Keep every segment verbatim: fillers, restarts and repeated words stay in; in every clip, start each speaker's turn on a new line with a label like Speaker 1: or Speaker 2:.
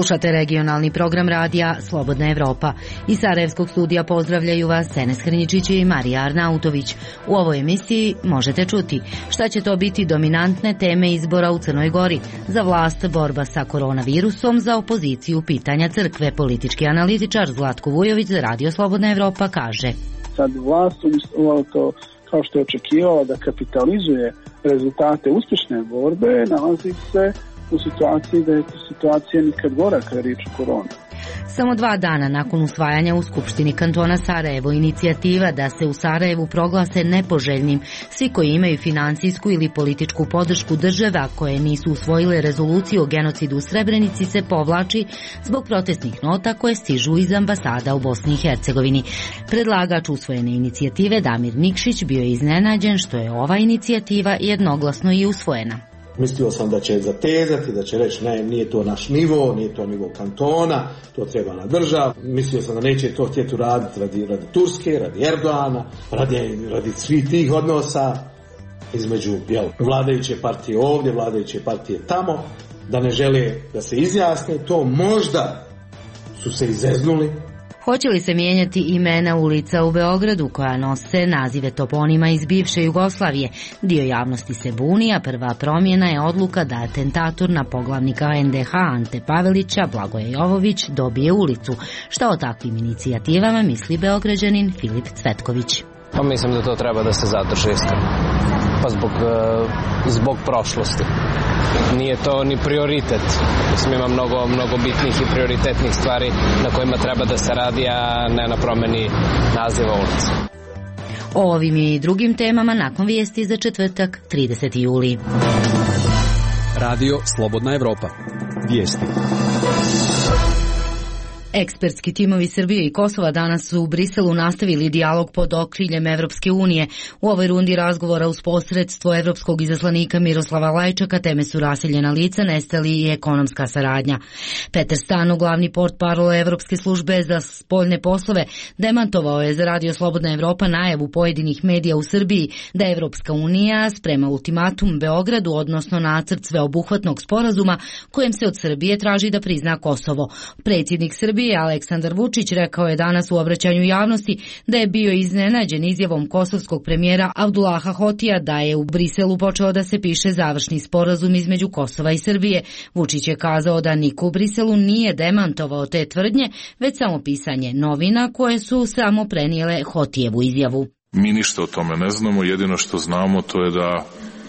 Speaker 1: Slušate regionalni program radija Slobodna Evropa. Iz Sarajevskog studija pozdravljaju vas Enes Hrničić i Marija Arnautović. U ovoj emisiji možete čuti šta će to biti dominantne teme izbora u Crnoj Gori. Za vlast borba sa koronavirusom, za opoziciju pitanja crkve. Politički analitičar Zlatko Vujović za Radio Slobodna Evropa kaže:
Speaker 2: Sad vlast umjesto to, kao što je očekivala da kapitalizuje rezultate uspješne borbe, nalazi se u situaciji da je situacija nikad gora kada je riječ o koroni.
Speaker 1: Samo dva dana nakon usvajanja u Skupštini kantona Sarajevo inicijativa da se u Sarajevu proglase nepoželjnim svi koji imaju financijsku ili političku podršku država koje nisu usvojile rezoluciju o genocidu u Srebrenici se povlači zbog protestnih nota koje stižu iz ambasada u Bosni i Hercegovini. Predlagač usvojene inicijative Damir Nikšić bio je iznenađen što je ova inicijativa jednoglasno i usvojena.
Speaker 3: Mislio sam da će zatezati, da će reći ne, nije to naš nivo, nije to nivo kantona, to treba na državu. Mislio sam da neće to htjeti raditi radi, radi Turske, radi Erdoana, radi, radi svih tih odnosa između jel, vladajuće partije ovdje, vladajuće partije tamo, da ne žele da se izjasne, to možda su se izeznuli.
Speaker 1: Hoće li se mijenjati imena ulica u Beogradu koja nose nazive toponima iz bivše Jugoslavije? Dio javnosti se buni, a prva promjena je odluka da atentator na poglavnika en de ha Ante Pavelića, Blagoje Jovović, dobije ulicu. Šta o takvim inicijativama misli Beograđanin Filip Cvetković?
Speaker 4: Pa mislim da to treba da se zadrži iskreno. Pa zbog, zbog prošlosti. Nije to ni prioritet. Mislim, ima mnogo, mnogo bitnih i prioritetnih stvari na kojima treba da se radi, a ne na promjeni naziva ulice.
Speaker 1: O ovim i drugim temama nakon vijesti za četvrtak, trideseti juli.
Speaker 5: Radio Slobodna Evropa. Vijesti.
Speaker 1: Ekspertski timovi Srbije i Kosova danas su u Briselu nastavili dijalog pod okriljem Evropske unije. U ovoj rundi razgovora uz posredstvo evropskog izaslanika Miroslava Lajčaka teme su raseljena lica, nestali i ekonomska saradnja. Petar Stano, glavni portparol Evropske službe za spoljne poslove, demantovao je za Radio Slobodna Evropa najavu pojedinih medija u Srbiji da Evropska unija sprema ultimatum Beogradu, odnosno nacrt sveobuhvatnog sporazuma kojem se od Srbije traži da prizna Kosovo. Predsjednik Srbije Aleksandar Vučić rekao je danas u obraćanju javnosti da je bio iznenađen izjavom kosovskog premijera Abdullaha Hotija da je u Briselu počeo da se piše završni sporazum između Kosova i Srbije. Vučić je kazao da niko u Briselu nije demantovao te tvrdnje, već samo pisanje novina koje su samo prenijele Hotijevu izjavu.
Speaker 6: Mi ništa o tome ne znamo, jedino što znamo to je da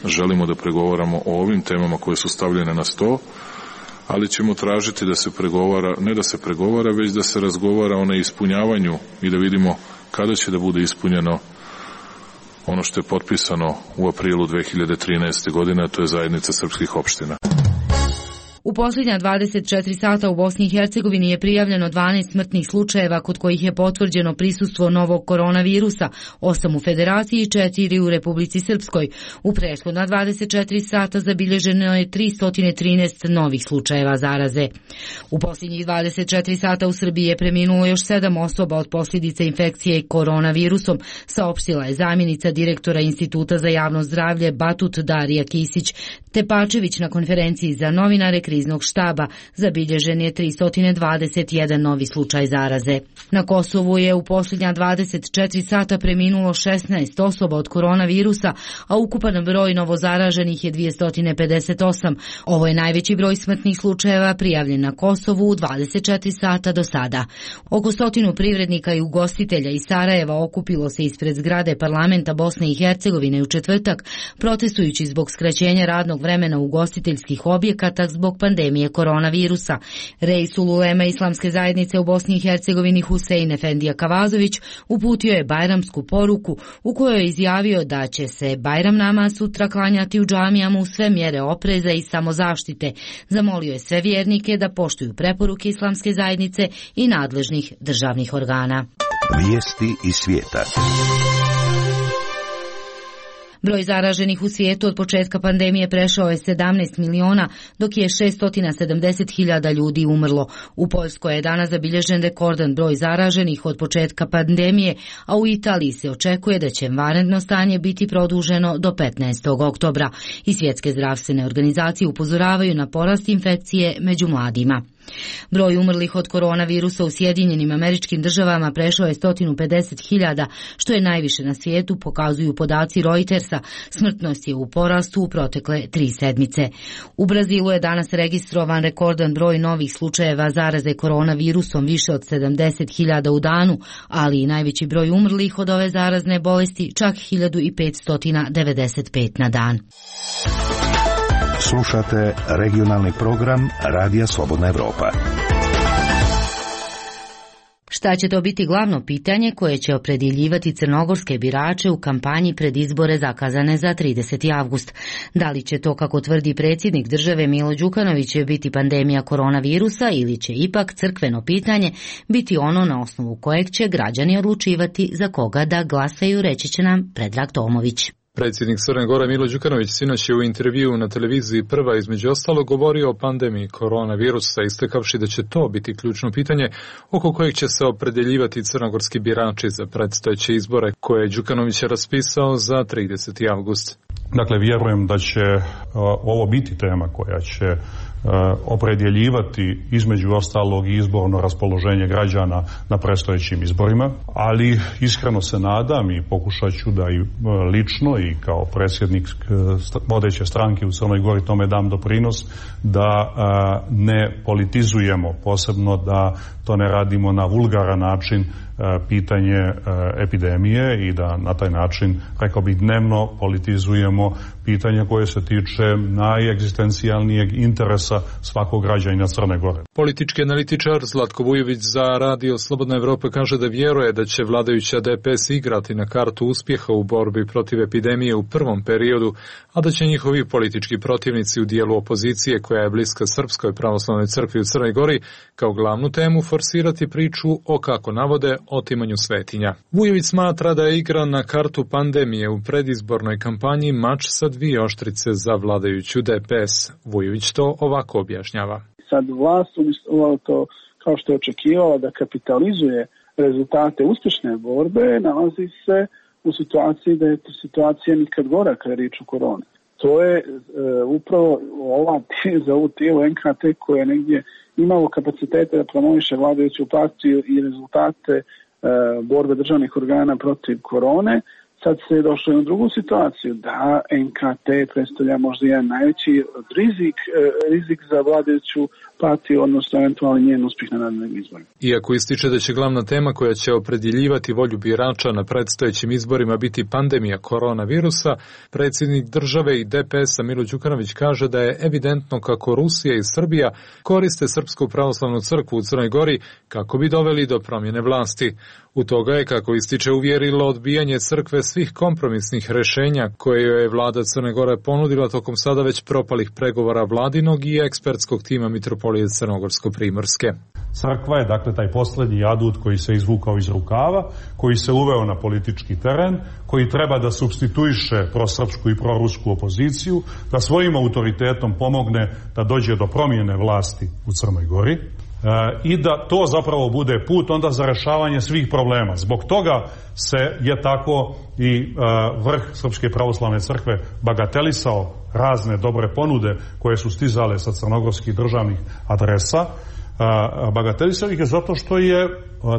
Speaker 6: želimo da pregovaramo o ovim temama koje su stavljene na sto, ali ćemo tražiti da se pregovara, ne da se pregovara, već da se razgovara o neispunjavanju i da vidimo kada će da bude ispunjeno ono što je potpisano u aprilu dve hiljade trinaeste. godine, a to je zajednica srpskih opština.
Speaker 1: U posljednja dvadeset četiri sata u Bosni i Hercegovini je prijavljeno dvanaest smrtnih slučajeva kod kojih je potvrđeno prisustvo novog koronavirusa, osam u Federaciji i četiri u Republici Srpskoj. U prethodna dvadeset četiri sata zabilježeno je tristo trinaest novih slučajeva zaraze. U posljednjih dvadeset četiri sata u Srbiji je preminulo još sedam osoba od posljedica infekcije koronavirusom, saopštila je zamjenica direktora Instituta za javno zdravlje Batut Darija Kisić Tepačević na konferenciji za novinare kriznog štaba. Zabilježen je tristo dvadeset jedan novi slučaj zaraze. Na Kosovu je u posljednja dvadeset četiri sata preminulo šesnaest osoba od koronavirusa, a ukupan broj novozaraženih je dvjesto pedeset osam. Ovo je najveći broj smrtnih slučajeva prijavljen na Kosovu u dvadeset četiri sata do sada. Oko stotinu privrednika i ugostitelja iz Sarajeva okupilo se ispred zgrade parlamenta Bosne i Hercegovine u četvrtak, protestujući zbog skraćenja radnog vremena ugostiteljskih objekata zbog pandemije koronavirusa. Reisul ulema islamske zajednice u Bosni i Hercegovini Husein Efendija Kavazović uputio je bajramsku poruku u kojoj je izjavio da će se Bajram namaz sutra klanjati u džamijama uz sve mjere opreza i samozaštite. Zamolio je sve vjernike da poštuju preporuke islamske zajednice i nadležnih državnih organa.
Speaker 7: Vijesti iz svijeta.
Speaker 1: Broj zaraženih u svijetu od početka pandemije prešao je sedamnaest miliona, dok je šesto sedamdeset hiljada ljudi umrlo. U Poljskoj je danas zabilježen rekordan broj zaraženih od početka pandemije, a u Italiji se očekuje da će vanredno stanje biti produženo do petnaestog oktobra. I svjetske zdravstvene organizacije upozoravaju na porast infekcije među mladima. Broj umrlih od koronavirusa u Sjedinjenim Američkim Državama prešao je sto pedeset hiljada, što je najviše na svijetu, pokazuju podaci Reutersa. Smrtnost je u porastu u protekle tri sedmice. U Brazilu je danas registrovan rekordan broj novih slučajeva zaraze koronavirusom, više od sedamdeset hiljada u danu, ali i najveći broj umrlih od ove zarazne bolesti, čak hiljadu petsto devedeset pet na dan.
Speaker 7: Slušate regionalni program Radija Slobodna Evropa.
Speaker 1: Šta će to biti glavno pitanje koje će opredjeljivati crnogorske birače u kampanji pred izbore zakazane za trideseti avgust? Da li će to, kako tvrdi predsjednik države Milo Đukanović, biti pandemija koronavirusa ili će ipak crkveno pitanje biti ono na osnovu kojeg će građani odlučivati za koga da glasaju, reći će nam Predrag Tomović.
Speaker 8: Predsjednik Crne Gore Milo Đukanović sinoć je u intervjuu na televiziji Prva između ostalog govorio o pandemiji koronavirusa, istakavši da će to biti ključno pitanje oko kojeg će se opredjeljivati crnogorski birači za predstojeće izbore koje je Đukanović raspisao za trideseti avgust.
Speaker 9: Dakle, vjerujem da će uh, ovo biti tema koja će uh, opredjeljivati između ostalog i izborno raspoloženje građana na predstojećim izborima, ali iskreno se nadam i pokušat ću da i uh, lično i kao predsjednik uh, vodeće stranke u Crnoj Gori tome dam doprinos da uh, ne politizujemo, posebno da to ne radimo na vulgaran način pitanje epidemije i da na taj način, rekao bih, dnevno politizujemo pitanje koje se tiče najegzistencijalnijeg interesa svakog građanina Crne Gore.
Speaker 8: Politički analitičar Zlatko Vujović za Radio Slobodna Evropa kaže da vjeruje da će vladajuća D P S igrati na kartu uspjeha u borbi protiv epidemije u prvom periodu, a da će njihovi politički protivnici u dijelu opozicije koja je bliska Srpskoj pravoslavnoj crkvi u Crnoj Gori kao glavnu temu forsirati priču o, kako navode, otimanju svetinja. Vujović smatra da je igra na kartu pandemije u predizbornoj kampanji mač sa dvije oštrice za vladajuću D P S. Vujović to ovako objašnjava.
Speaker 2: Sad vlast umjesto to, kao što je očekivala da kapitalizuje rezultate uspješne borbe, nalazi se u situaciji da je situacija nikad gora kada je riječ o koroni. To je e, upravo ova za ovu tijelo N K T koje je negdje imalo kapacitete da promoviše vladajuću partiju i rezultate e, borbe državnih organa protiv korone. Sad se je došlo u drugu situaciju da N K T predstavlja možda jedan najveći rizik, rizik za vladajuću partiju, odnosno eventualno njen uspjeh na narednim izborima.
Speaker 8: Iako ističe da će glavna tema koja će opredjeljivati volju birača na predstojećim izborima biti pandemija koronavirusa, predsjednik države i D P S-a Milo Đukanović kaže da je evidentno kako Rusija i Srbija koriste Srpsku pravoslavnu crkvu u Crnoj Gori kako bi doveli do promjene vlasti. U toga je, kako ističe, uvjerilo odbijanje crkve svih kompromisnih rješenja koje joj je vlada Crne Gore ponudila tokom sada već propalih pregovora vladinog i ekspertskog tima Mitropolije Crnogorsko-Primorske.
Speaker 9: Crkva je, dakle, taj posljednji adut koji se izvukao iz rukava, koji se uveo na politički teren, koji treba da supstituiše prosrpsku i prorusku opoziciju, da svojim autoritetom pomogne da dođe do promjene vlasti u Crnoj Gori. I da to zapravo bude put onda za rešavanje svih problema. Zbog toga se je tako i vrh Srpske pravoslavne crkve bagatelisao razne dobre ponude koje su stizale sa crnogorskih državnih adresa. Bagatelisao ih je zato što je,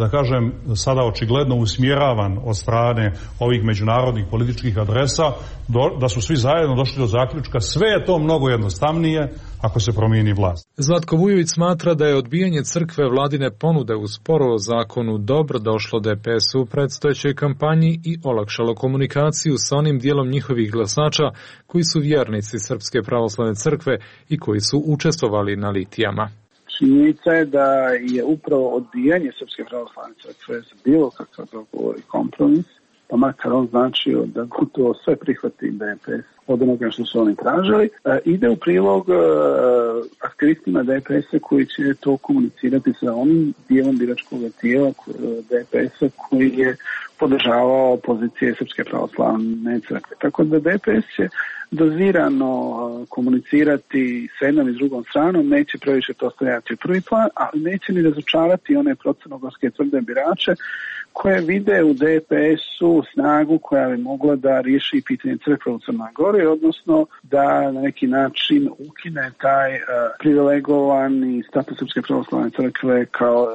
Speaker 9: da kažem, sada očigledno usmjeravan od strane ovih međunarodnih političkih adresa, do, da su svi zajedno došli do zaključka sve je to mnogo jednostavnije ako se promijeni vlast.
Speaker 8: Zlatko Vujović smatra da je odbijanje crkve vladine ponude u sporu o zakonu dobro došlo D P S-u u predstojećoj kampanji i olakšalo komunikaciju sa onim dijelom njihovih glasača koji su vjernici Srpske pravoslavne crkve i koji su učestvovali na litijama.
Speaker 2: Činjenica je da je upravo odbijanje Srpske pravoslavne crkve za bilo kakav dogovor i kompromis, pa makar on značio da gotovo sve prihvati D P S od onoga što su oni tražili, ide u prilog aktivistima D P S-a koji će to komunicirati sa onim dijelom biračkog tijela D P S-a koji je podržavao pozicije Srpske pravoslavne crkve. Tako da D P S će dozirano komunicirati s jednom i s drugom stranom, neće previše to stavljati u prvi plan, ali neće ni razočarati one crnogorske tvrde birače koje vide u D P S-u snagu koja bi mogla da riješi pitanje crkve u Crnoj Gori, odnosno da na neki način ukine taj uh, privilegovani status Srpske pravoslavne crkve kao uh,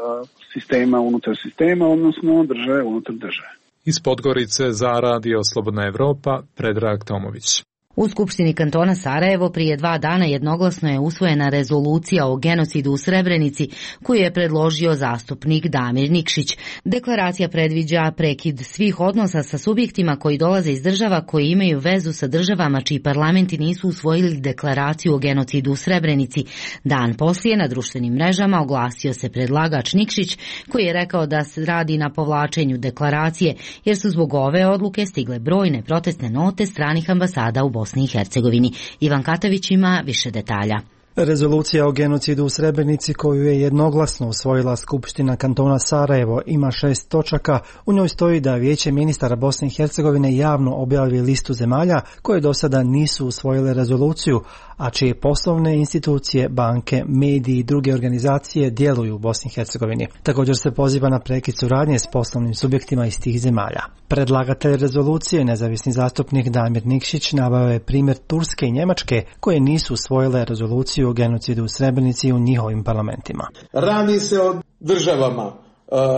Speaker 2: sistema unutar sistema, odnosno države unutar države.
Speaker 8: Iz Podgorice za Radio Slobodna Evropa, Predrag Tomović.
Speaker 1: U Skupštini kantona Sarajevo prije dva dana jednoglasno je usvojena rezolucija o genocidu u Srebrenici koju je predložio zastupnik Damir Nikšić. Deklaracija predviđa prekid svih odnosa sa subjektima koji dolaze iz država koji imaju vezu sa državama čiji parlamenti nisu usvojili deklaraciju o genocidu u Srebrenici. Dan poslije na društvenim mrežama oglasio se predlagač Nikšić koji je rekao da se radi na povlačenju deklaracije jer su zbog ove odluke stigle brojne protestne note stranih ambasada u Bosni i Hercegovini. Ivan Katavić ima više detalja.
Speaker 10: Rezolucija o genocidu u Srebrenici koju je jednoglasno usvojila Skupština kantona Sarajevo ima šest točaka. U njoj stoji da Vijeće ministara Bosne i Hercegovine javno objavi listu zemalja koje do sada nisu usvojile rezoluciju, a čije poslovne institucije, banke, mediji i druge organizacije djeluju u Bosni i Hercegovini. Također se poziva na prekid suradnje s poslovnim subjektima iz tih zemalja. Predlagatelj rezolucije, nezavisni zastupnik Damir Nikšić, naveo je primjer Turske i Njemačke koje nisu usvojile rezoluciju o genocidu u Srebrenici u njihovim parlamentima.
Speaker 3: Radi se o državama uh,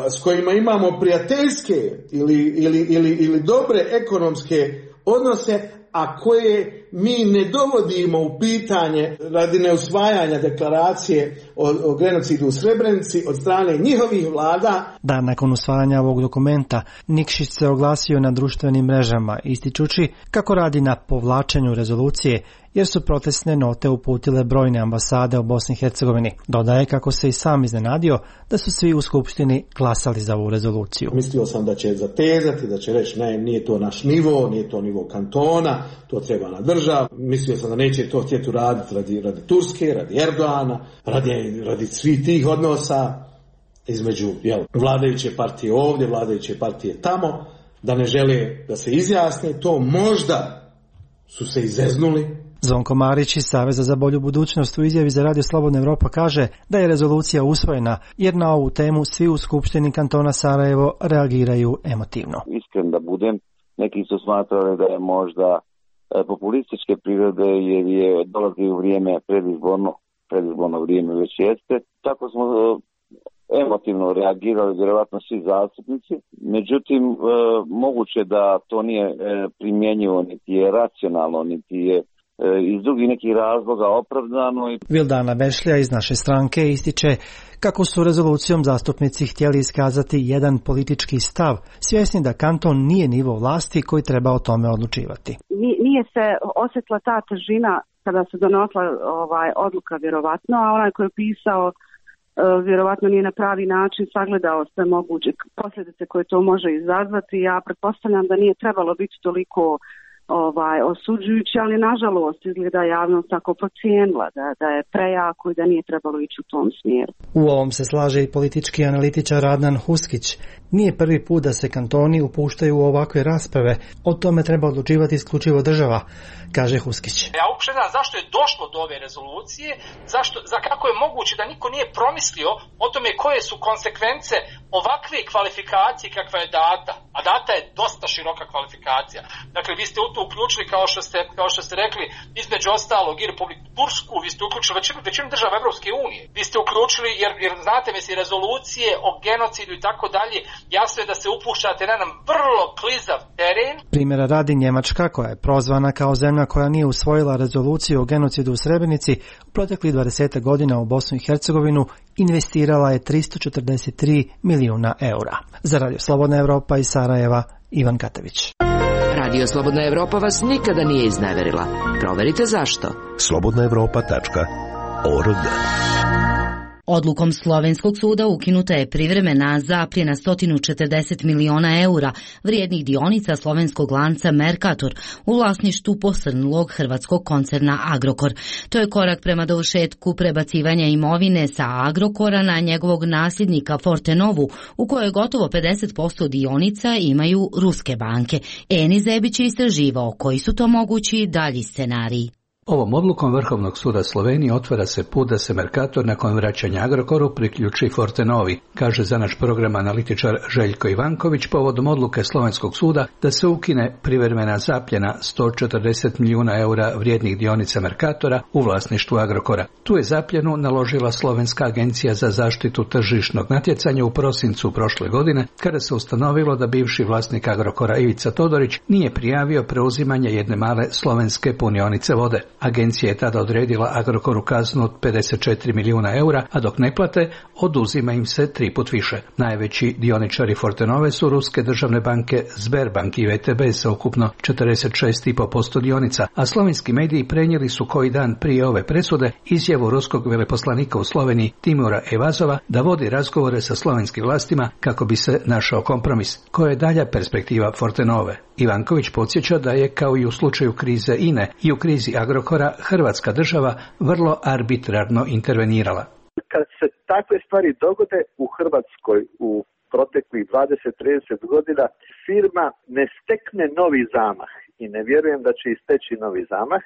Speaker 3: s kojima imamo prijateljske ili, ili, ili, ili dobre ekonomske odnose, a koje mi ne dovodimo u pitanje radi neusvajanja deklaracije o, o genocidu u Srebrenici od strane njihovih vlada.
Speaker 10: Dan nakon usvajanja ovog dokumenta, Nikšić se oglasio na društvenim mrežama, ističući kako radi na povlačenju rezolucije, jer su protestne note uputile brojne ambasade u Bosni i Hercegovini. Dodaje kako se i sam iznenadio da su svi u Skupštini glasali za ovu rezoluciju.
Speaker 3: Mislio sam da će zatezati, da će reći ne, nije to naš nivo, nije to nivo kantona, to treba na državu. Mislio sam da neće to htjeti uraditi radi, radi Turske, radi Erdoana, radi, radi svih tih odnosa između jel, vladajuće partije ovdje, vladajuće partije tamo, da ne žele da se izjasne, to možda su se izeznuli.
Speaker 10: Zvonko Marić iz Saveza za bolju budućnost u izjavi za Radio Slobodna Evropa kaže da je rezolucija usvojena jer na ovu temu svi u Skupštini kantona Sarajevo reagiraju emotivno.
Speaker 11: Iskren da budem, neki su smatrali da je možda populističke prirode jer je dolazi u vrijeme predizborno, predizborno vrijeme već jeste. Tako smo emotivno reagirali vjerovatno svi zastupnici, međutim e, moguće da to nije e, primjenjivo, niti je racionalno, niti je e, iz drugih nekih razloga opravdano.
Speaker 10: Vildana Bešlja iz naše stranke ističe kako su rezolucijom zastupnici htjeli iskazati jedan politički stav, svjesni da kanton nije nivo vlasti koji treba o tome odlučivati.
Speaker 12: Nije se osjetila ta težina kada se donosila ovaj, odluka vjerovatno, a onaj koji je pisao vjerovatno nije na pravi način sagledao sve moguće posljedice koje to može izazvati. Ja pretpostavljam da nije trebalo biti toliko ovaj, osuđujući, ali nažalost izgleda javnost tako procijenila da, da je prejako i da nije trebalo ići u tom smjeru.
Speaker 10: U ovom se slaže i politički analitičar Adnan Huskić. Nije prvi put da se kantoni upuštaju u ovakve rasprave, o tome treba odlučivati isključivo država, kaže Huskić.
Speaker 13: Ja uopšte znam zašto je došlo do ove rezolucije, zašto, za kako je moguće da niko nije promislio o tome koje su konsekvence ovakve kvalifikacije kakva je data, a data je dosta široka kvalifikacija. Dakle, vi ste u to uključili, kao što ste, kao što ste rekli, između ostalog i Republiku Tursku, vi ste uključili većinu, većinu država Evropske unije. Vi ste uključili, jer, jer znate, misli, rezolucije o genocidu i tako dalje, jasno je da se upuštate na jedan vrlo klizav teren.
Speaker 10: Primjera radi Njemačka, koja je prozvana kao zemlja koja nije usvojila rezoluciju o genocidu u Srebrenici, u proteklih dvadeset godina u Bosnu i Hercegovinu investirala je tristo četrdeset tri milijuna eura. Za Radio Slobodna Evropa iz Sarajeva, Ivan Katavić.
Speaker 14: Radio Slobodna Evropa vas nikada nije izneverila. Proverite zašto.
Speaker 7: slobodna evropa tačka org.
Speaker 1: Odlukom slovenskog suda ukinuta je privremena zapljena sto četrdeset miliona eura vrijednih dionica slovenskog lanca Mercator u vlasništvu posrnulog hrvatskog koncerna Agrokor. To je korak prema dovršetku prebacivanja imovine sa Agrokora na njegovog nasljednika Fortenovu, u kojoj gotovo pedeset posto dionica imaju ruske banke. Eni Zebić je istraživao koji su to mogući dalji scenariji.
Speaker 15: Ovom odlukom Vrhovnog suda Slovenije otvara se put da se Mercator nakon vraćanja Agrokoru priključi Fortenovi, kaže za naš program analitičar Željko Ivanković povodom odluke Slovenskog suda da se ukine privremena zapljena sto četrdeset milijuna eura vrijednih dionica Mercatora u vlasništvu Agrokora. Tu je zapljenu naložila Slovenska agencija za zaštitu tržišnog natjecanja u prosincu prošle godine, kada se ustanovilo da bivši vlasnik Agrokora Ivica Todorić nije prijavio preuzimanje jedne male slovenske punionice vode. Agencija je tada odredila Agrokoru kaznu od pedeset četiri milijuna eura, a dok ne plate, oduzima im se tri put više. Najveći dioničari Fortenove su ruske državne banke Sberbank i V T B sa ukupno četrdeset šest zarez pet posto dionica, a slovenski mediji prenijeli su koji dan prije ove presude izjavu ruskog veleposlanika u Sloveniji Timura Evazova da vodi razgovore sa slovenskim vlastima kako bi se našao kompromis. Koja je dalja perspektiva Fortenove? Ivanković podsjeća da je, kao i u slučaju krize I N E i u krizi Agrokora, Hrvatska država vrlo arbitrarno intervenirala.
Speaker 16: Kad se takve stvari dogode u Hrvatskoj u proteklih dvadeset do trideset godina, firma ne stekne novi zamah i ne vjerujem da će isteći novi zamah,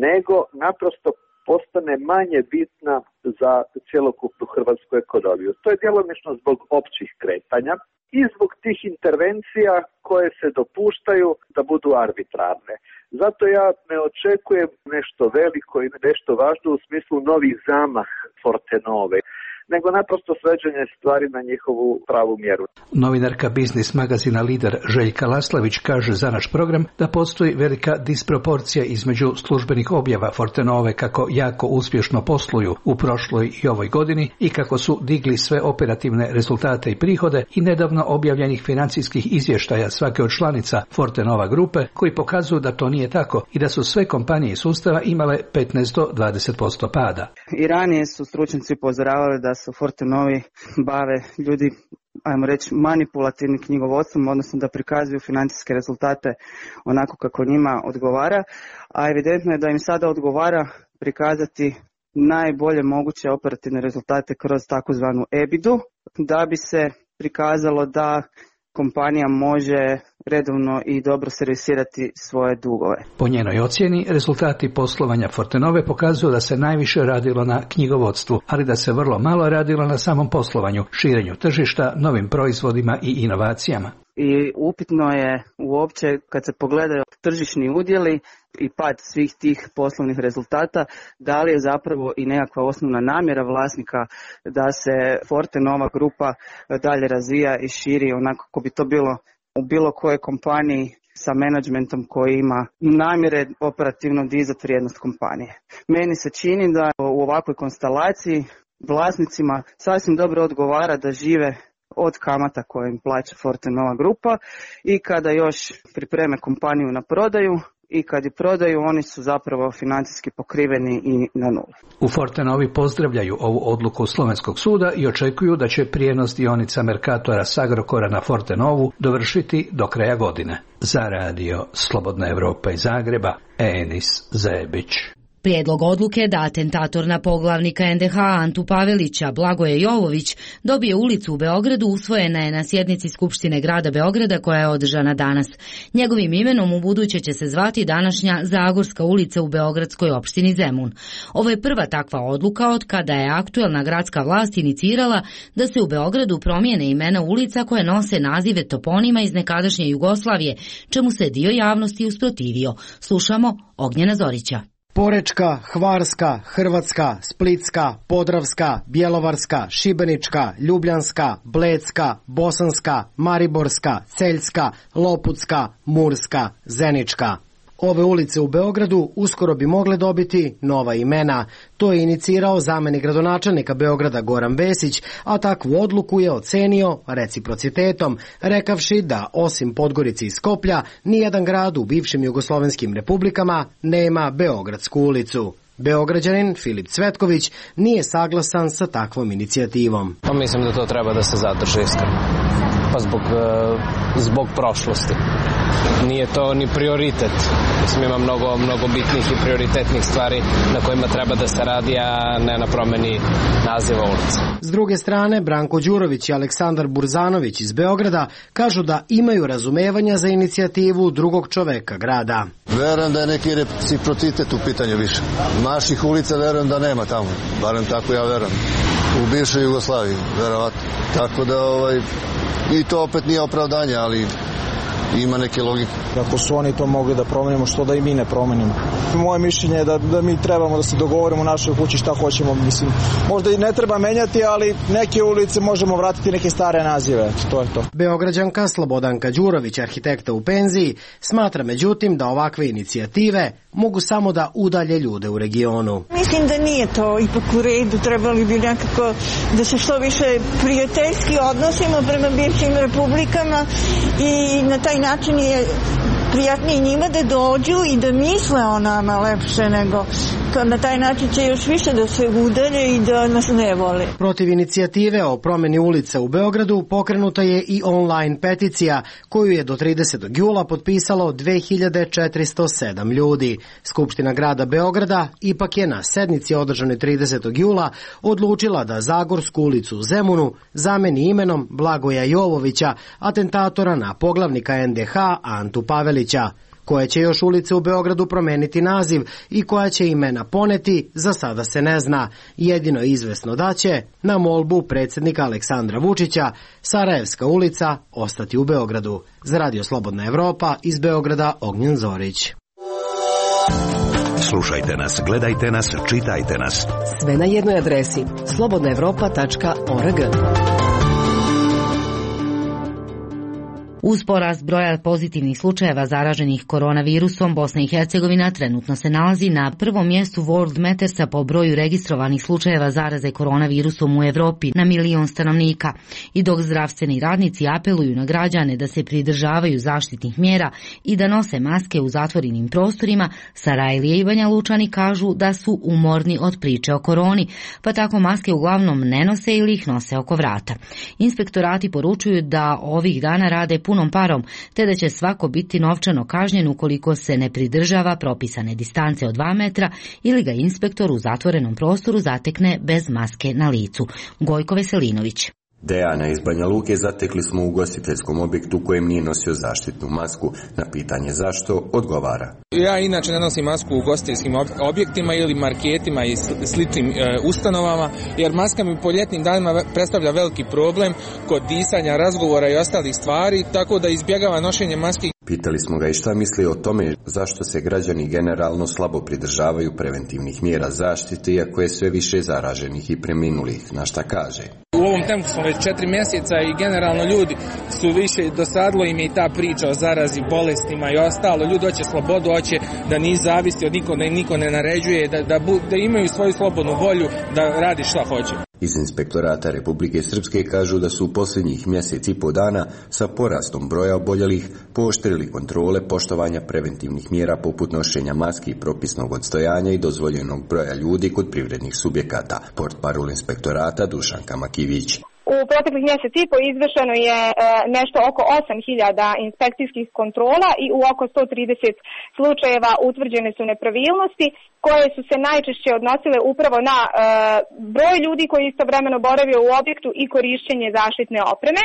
Speaker 16: nego naprosto postane manje bitna za cjelokupnu hrvatsku ekonomiju. To je djelomično zbog općih kretanja i zbog tih intervencija koje se dopuštaju da budu arbitrarne. Zato ja ne očekujem nešto veliko i nešto važno u smislu novih zamah Fortenove, nego naprosto sveđanje stvari na njihovu pravu mjeru.
Speaker 15: Novinarka biznis magazina Lider Željka Laslavić kaže za naš program da postoji velika disproporcija između službenih objava Fortenove kako jako uspješno posluju u prošloj i ovoj godini i kako su digli sve operativne rezultate i prihode i nedavno objavljenih financijskih izvještaja svake od članica Fortenova grupe koji pokazuju da to nije tako i da su sve kompanije iz sustava imale petnaest do dvadeset posto pada.
Speaker 17: I ranije su stručnjaci upozoravali da se u Fortenovi bave ljudi, ajmo reći, manipulativnim knjigovodstvom, odnosno da prikazuju financijske rezultate onako kako njima odgovara, a evidentno je da im sada odgovara prikazati najbolje moguće operativne rezultate kroz takozvanu E B I D-u, da bi se prikazalo da kompanija može redovno i dobro servisirati svoje dugove.
Speaker 15: Po njenoj ocjeni, rezultati poslovanja Fortenove pokazuju da se najviše radilo na knjigovodstvu, ali da se vrlo malo radilo na samom poslovanju, širenju tržišta, novim proizvodima i inovacijama.
Speaker 17: I upitno je uopće kad se pogledaju tržišni udjeli i pad svih tih poslovnih rezultata, da li je zapravo i nekakva osnovna namjera vlasnika da se Fortenova grupa dalje razvija i širi onako kako bi to bilo u bilo kojoj kompaniji sa menadžmentom koji ima namjere operativno dizati vrijednost kompanije. Meni se čini da u ovakvoj konstelaciji vlasnicima sasvim dobro odgovara da žive od kamata koje im plaća Fortenova grupa i kada još pripreme kompaniju na prodaju i kad je prodaju, oni su zapravo financijski pokriveni i na nuli.
Speaker 15: U Fortenovi pozdravljaju ovu odluku Slovenskog suda i očekuju da će prijenos dionica Mercatora s Agrokora na Fortenovu dovršiti do kraja godine. Za radio Slobodna Evropa iz Zagreba, Enis Zebić.
Speaker 1: Prijedlog odluke da atentator na poglavnika N D H Antu Pavelića, Blagoje Jovović, dobije ulicu u Beogradu usvojena je na sjednici Skupštine grada Beograda koja je održana danas. Njegovim imenom u buduće će se zvati današnja Zagorska ulica u beogradskoj opštini Zemun. Ovo je prva takva odluka od kada je aktuelna gradska vlast inicirala da se u Beogradu promijene imena ulica koje nose nazive toponima iz nekadašnje Jugoslavije, čemu se dio javnosti usprotivio. Slušamo Ognjena Zorića.
Speaker 18: Porečka, Hvarska, Hrvatska, Splitska, Podravska, Bjelovarska, Šibenička, Ljubljanska, Blecka, Bosanska, Mariborska, Celjska, Loputska, Murska, Zenička. Ove ulice u Beogradu uskoro bi mogle dobiti nova imena. To je inicirao zamenik gradonačelnika Beograda Goran Vesić, a takvu odluku je ocenio reciprocitetom, rekavši da osim Podgorice i Skoplja, nijedan grad u bivšim jugoslovenskim republikama nema Beogradsku ulicu. Beograđanin Filip Cvetković nije saglasan sa takvom inicijativom.
Speaker 4: Pa mislim da to treba da se zadrži iskreno. Pa zbog, zbog prošlosti. nije to ni prioritet. Mislim, ima mnogo, mnogo bitnih i prioritetnih stvari na kojima treba da se radi, a ne na promeni naziva ulica.
Speaker 18: S druge strane, Branko Đurović i Aleksandar Burzanović iz Beograda kažu da imaju razumevanja za inicijativu drugog čoveka grada.
Speaker 19: Verujem da je neki reciprocitet u pitanju više. Naših ulica verujem da nema tamo, barem tako ja verujem. U bivšoj Jugoslaviji, verovatno. Tako da ovaj, i to opet nije opravdanje, ali ima neke logike.
Speaker 20: Ako su oni to mogli da promenimo, što da i mi ne promenimo? Moje mišljenje je da, da mi trebamo da se dogovorimo u našoj kući šta hoćemo. Mislim, možda i ne treba menjati, ali neke ulice možemo vratiti neke stare nazive. To je to.
Speaker 18: Beograđanka Slobodanka Đurović, arhitekta u penziji, smatra međutim da ovakve inicijative mogu samo da udalje ljude u regionu.
Speaker 21: Mislim da nije to ipak u redu. Trebali bi nekako da se što više prijateljski odnosimo prema bivšim republikama i na taj način je prijatnije njima da dođu i da misle o nama lepše nego na taj način će još više da se udalje i da nas ne vole.
Speaker 18: Protiv inicijative o promeni ulica u Beogradu pokrenuta je i online peticija koju je do tridesetog jula potpisalo dve hiljade četiristo sedam ljudi. Skupština grada Beograda ipak je na sednici održanoj tridesetog jula odlučila da Zagorsku ulicu u Zemunu zameni imenom Blagoja Jovovića, atentatora na poglavnika en de ha Antu Pavelića. Koje će još ulice u Beogradu promeniti naziv i koja će imena poneti, za sada se ne zna. Jedino je izvesno da će, na molbu predsjednika Aleksandra Vučića, Sarajevska ulica ostati u Beogradu. Za Radio Slobodna Evropa, iz Beograda, Ognjen Zorić.
Speaker 7: Slušajte nas, gledajte nas, čitajte nas.
Speaker 22: Sve na jednoj adresi slobodna evropa tačka org.
Speaker 1: Uz porast broja pozitivnih slučajeva zaraženih koronavirusom, Bosna i Hercegovina trenutno se nalazi na prvom mjestu World Mattersa po broju registrovanih slučajeva zaraze koronavirusom u Evropi na milion stanovnika. I dok zdravstveni radnici apeluju na građane da se pridržavaju zaštitnih mjera i da nose maske u zatvorenim prostorima, Sarajlije i Banja Lučani kažu da su umorni od priče o koroni, pa tako maske uglavnom ne nose ili ih nose oko vrata. Inspektorati poručuju da ovih dana rade puno parom, te da će svako biti novčano kažnjen ukoliko se ne pridržava propisane distance od dva metra ili ga inspektor u zatvorenom prostoru zatekne bez maske na licu. Gojko Veselinović.
Speaker 23: Dejana iz Banja Luke zatekli smo u ugostiteljskom objektu kojem nije nosio zaštitnu masku. Na pitanje zašto, odgovara.
Speaker 24: Ja inače ne nosim masku u ugostiteljskim objektima ili marketima i sličnim e, ustanovama, jer maska mi po ljetnim danima predstavlja veliki problem kod disanja, razgovora i ostalih stvari, tako da izbjegava nošenje maske.
Speaker 23: Pitali smo ga i šta misli o tome zašto se građani generalno slabo pridržavaju preventivnih mjera zaštite, iako je sve više zaraženih i preminulih. Na šta kaže?
Speaker 24: U ovom tempu smo već četiri mjeseca i generalno ljudi su više, dosadilo im je i ta priča o zarazi, bolestima i ostalo. Ljudi hoće slobodu, hoće da nisu zavisni od niko, da im niko ne naređuje, da, da, da imaju svoju slobodnu volju da radi šta hoće.
Speaker 23: Iz Inspektorata Republike Srpske kažu da su u posljednjih mjesec i po dana sa porastom broja oboljelih pooštrili kontrole poštovanja preventivnih mjera poput nošenja maski i propisnog odstojanja i dozvoljenog broja ljudi kod privrednih subjekata. Portparol Inspektorata Dušanka Makivić.
Speaker 25: U proteklih mjesec i po izvršeno je e, nešto oko osam hiljada inspekcijskih kontrola i u oko sto trideset slučajeva utvrđene su nepravilnosti koje su se najčešće odnosile upravo na e, broj ljudi koji istovremeno boravio u objektu i korišćenje zaštitne opreme.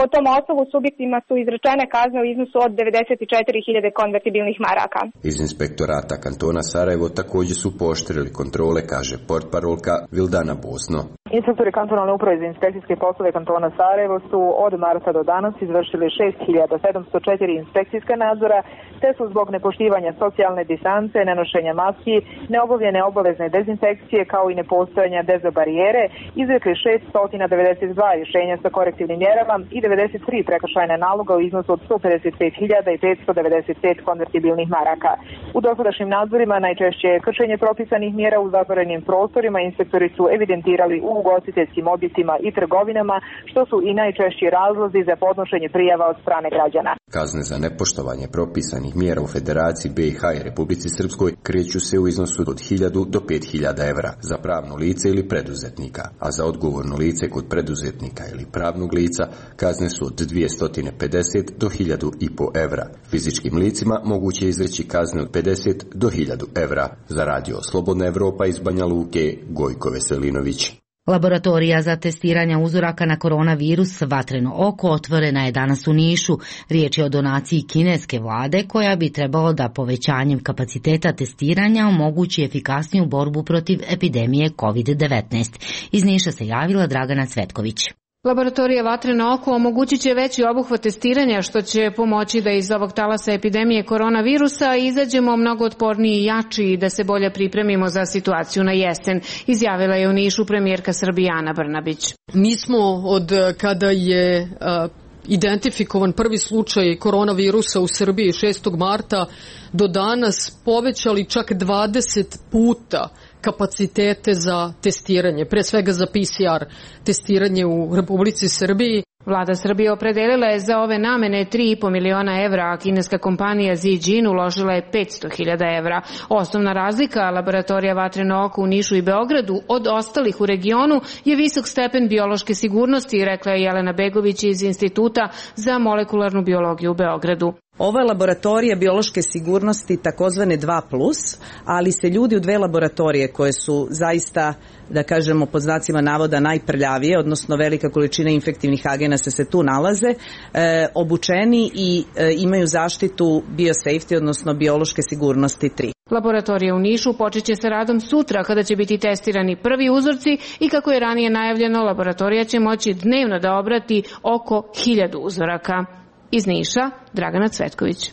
Speaker 25: Po tom osnovu subjektima su izrečene kazne u iznosu od devedeset četiri hiljade konvertibilnih maraka.
Speaker 23: Iz Inspektorata kantona Sarajevo također su pooštrili kontrole, kaže portparolka Vildana Bosno.
Speaker 26: Inspektori kantonalne uprave za inspekcijske poslove kantona Sarajevo su od marta do danas izvršili šest hiljada sedamsto četiri inspekcijska nadzora, te su zbog nepoštivanja socijalne distance, nenošenja maski, neobavljene obavezne dezinfekcije kao i nepostojanja dezobarijere izrekli šeststo devedeset dva rješenja sa korektivnim mjerama i devedeset tri prekršajna naloga u iznosu od sto pedeset pet hiljada petsto devedeset pet konvertibilnih maraka. U dosadašnjim nadzorima najčešće je kršenje propisanih mjera u zatvorenim prostorima. Inspektori su evidentirali u ugostiteljskim objektima i trgovinama, što su i najčešći razlozi za podnošenje prijava od strane građana.
Speaker 23: Kazne za nepoštovanje propisanih mjera u Federaciji B i H i Republici Srpskoj kreću se u iznosu od hiljadu do pet hiljada evra za pravno lice ili preduzetnika, a za odgovorno lice kod preduzetnika ili pravnog lica kazne su od dvjesto pedeset do hiljadu i po evra. Fizičkim licima moguće je izreći kazne od pedeset do hiljadu evra. Za radio Slobodna Evropa iz Banja Luke, Gojko Veselinović.
Speaker 1: Laboratorija za testiranje uzoraka na koronavirus Vatreno oko otvorena je danas u Nišu. Riječ je o donaciji kineske vlade koja bi trebalo da povećanjem kapaciteta testiranja omogući efikasniju borbu protiv epidemije kovid devetnaest. Iz Niša se javila Dragana Cvetković.
Speaker 2: Laboratorija Vatreno oko omogućit će veći obuhvat testiranja, što će pomoći da iz ovog talasa epidemije koronavirusa izađemo mnogo otporniji i jači i da se bolje pripremimo za situaciju na jesen, izjavila je u Nišu premijerka Srbije Ana Brnabić.
Speaker 3: Mi smo od kada je uh, identifikovan prvi slučaj koronavirusa u Srbiji šestog marta do danas povećali čak dvadeset puta kapacitete za testiranje, pre svega za P C R testiranje u Republici Srbiji.
Speaker 2: Vlada Srbije opredelila je za ove namene tri i po miliona evra, a kineska kompanija Zijin uložila je petsto hiljada evra. Osnovna razlika laboratorija Vatreno oko u Nišu i Beogradu od ostalih u regionu je visok stepen biološke sigurnosti, rekla je Jelena Begović iz Instituta za molekularnu biologiju u Beogradu.
Speaker 5: Ovo je laboratorija biološke sigurnosti takozvane dva plus, ali se ljudi u dve laboratorije koje su zaista, da kažemo pod znacima navoda, najprljavije, odnosno velika količina infektivnih agenasa se tu nalaze, e, obučeni i e, imaju zaštitu biosafety, odnosno biološke sigurnosti tri.
Speaker 2: Laboratorija u Nišu počeće sa radom sutra kada će biti testirani prvi uzorci i kako je ranije najavljeno, laboratorija će moći dnevno da obrati oko hiljadu uzoraka. Iz Niša, Dragana Cvetković.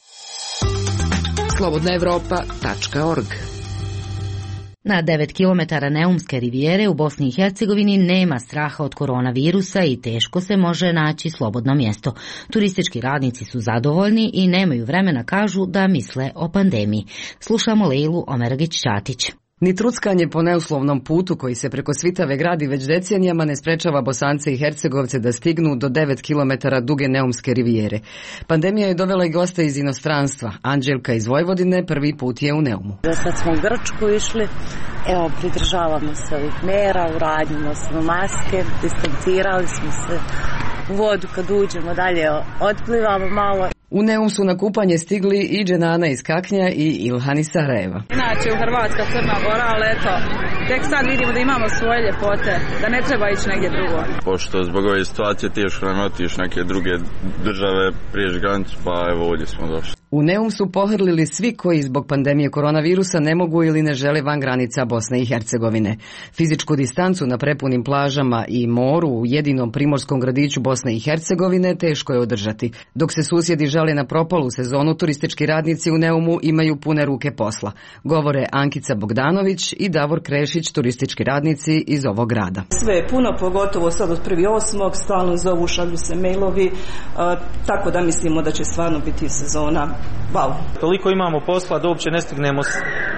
Speaker 14: slobodna evropa tačka org.
Speaker 1: Na devet kilometara Neumske rivijere u Bosni i Hercegovini nema straha od koronavirusa i teško se može naći slobodno mjesto. Turistički radnici su zadovoljni i nemaju vremena, kažu, da misle o pandemiji. Slušamo Lejlu Omergić-Ćatić.
Speaker 6: Ni truckanje po neuslovnom putu koji se preko Svitave gradi već decenijama ne sprečava Bosance i Hercegovce da stignu do devet kilometara duge Neumske rivijere. Pandemija je dovela i goste iz inostranstva. Anđelka iz Vojvodine prvi put je u Neumu.
Speaker 8: Sad smo u Grčku išli, evo pridržavamo se ovih mera, uradimo smo maske, distancirali smo se u vodu kad uđemo, dalje otplivamo malo.
Speaker 6: U Neum su na kupanje stigli i Dženana iz Kaknja i Ilhan iz Sarajeva.
Speaker 9: Inače u Hrvatska, Crna Gora, ali eto, tek sad vidimo da imamo svoje ljepote, da ne treba ići negdje drugo.
Speaker 27: Pošto zbog ove situacije teško nam otići neke druge države, prijeći granicu, pa evo ovdje smo došli.
Speaker 6: U Neum su pohrlili svi koji zbog pandemije koronavirusa ne mogu ili ne žele van granica Bosne i Hercegovine. Fizičku distancu na prepunim plažama i moru u jedinom primorskom gradiću Bosne i Hercegovine teško je održati. Dok se susjedi žale na propalu sezonu, turistički radnici u Neumu imaju pune ruke posla. Govore Ankica Bogdanović i Davor Krešić, turistički radnici iz ovog grada.
Speaker 28: Sve je puno, pogotovo sad od prvi osmog, stalno zovu, šalju se mailovi, a, tako da mislimo da će stvarno biti sezona. Wow.
Speaker 29: Toliko imamo posla da uopće ne stignemo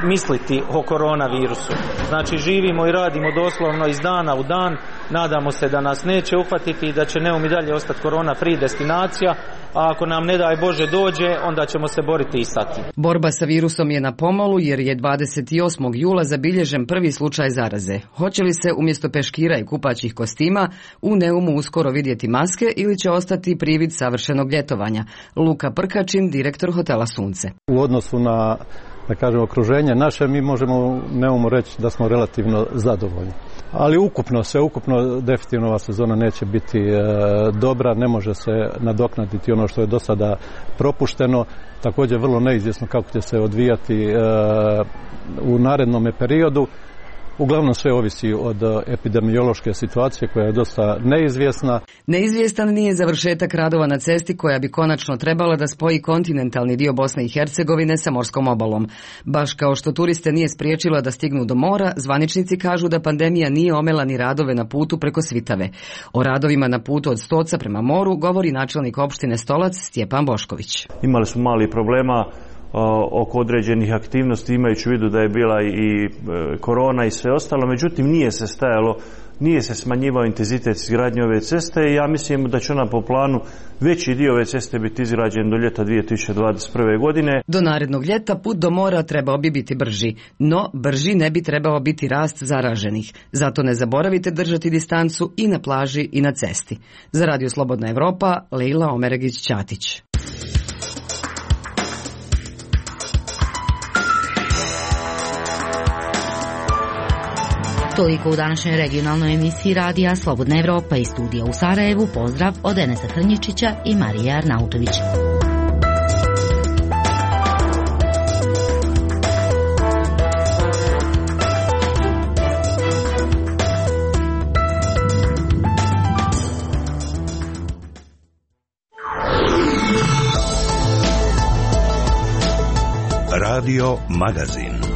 Speaker 29: misliti o koronavirusu. Znači živimo i radimo doslovno iz dana u dan, nadamo se da nas neće uhvatiti i da će Neum i dalje ostati korona free destinacija, a ako nam ne daj Bože dođe, onda ćemo se boriti i sa tim.
Speaker 6: Borba sa virusom je na pomolu jer je dvadeset osmog jula zabilježen prvi slučaj zaraze. Hoće li se umjesto peškira i kupaćih kostima u Neumu uskoro vidjeti maske ili će ostati privid savršenog ljetovanja? Luka Prkačin, direktor hotela Sunce.
Speaker 30: U odnosu na, da kažem, okruženje naše, mi možemo u Neumu reći da smo relativno zadovoljni. Ali ukupno, sve ukupno, definitivno ova sezona neće biti e, dobra, ne može se nadoknaditi ono što je do sada propušteno. Također vrlo neizvjesno kako će se odvijati e, u narednom periodu. Uglavnom sve ovisi od epidemiološke situacije koja je dosta neizvjesna.
Speaker 6: Neizvjestan nije završetak radova na cesti koja bi konačno trebala da spoji kontinentalni dio Bosne i Hercegovine sa morskom obalom. Baš kao što turiste nije spriječila da stignu do mora, zvaničnici kažu da pandemija nije omela ni radove na putu preko Svitave. O radovima na putu od Stoca prema moru govori načelnik opštine Stolac Stjepan Bošković.
Speaker 31: Imali smo mali problema oko određenih aktivnosti, imajući u vidu da je bila i korona i sve ostalo, međutim nije se stajalo nije se smanjivao intenzitet izgradnje ove ceste i ja mislim da će ona po planu veći dio ove ceste biti izgrađen do ljeta dvije tisuće dvadeset prve. godine.
Speaker 6: Do narednog ljeta put do mora trebao bi biti brži, no brži ne bi trebao biti rast zaraženih. Zato ne zaboravite držati distancu i na plaži i na cesti. Za Radio Slobodna Evropa, Leila Omeregić-Ćatić.
Speaker 1: Toliko u današnjoj regionalnoj emisiji Radija Slobodna Evropa iz studija u Sarajevu. Pozdrav od Enesa Hrnjičića i Marije Arnautović.
Speaker 7: Radio Magazin.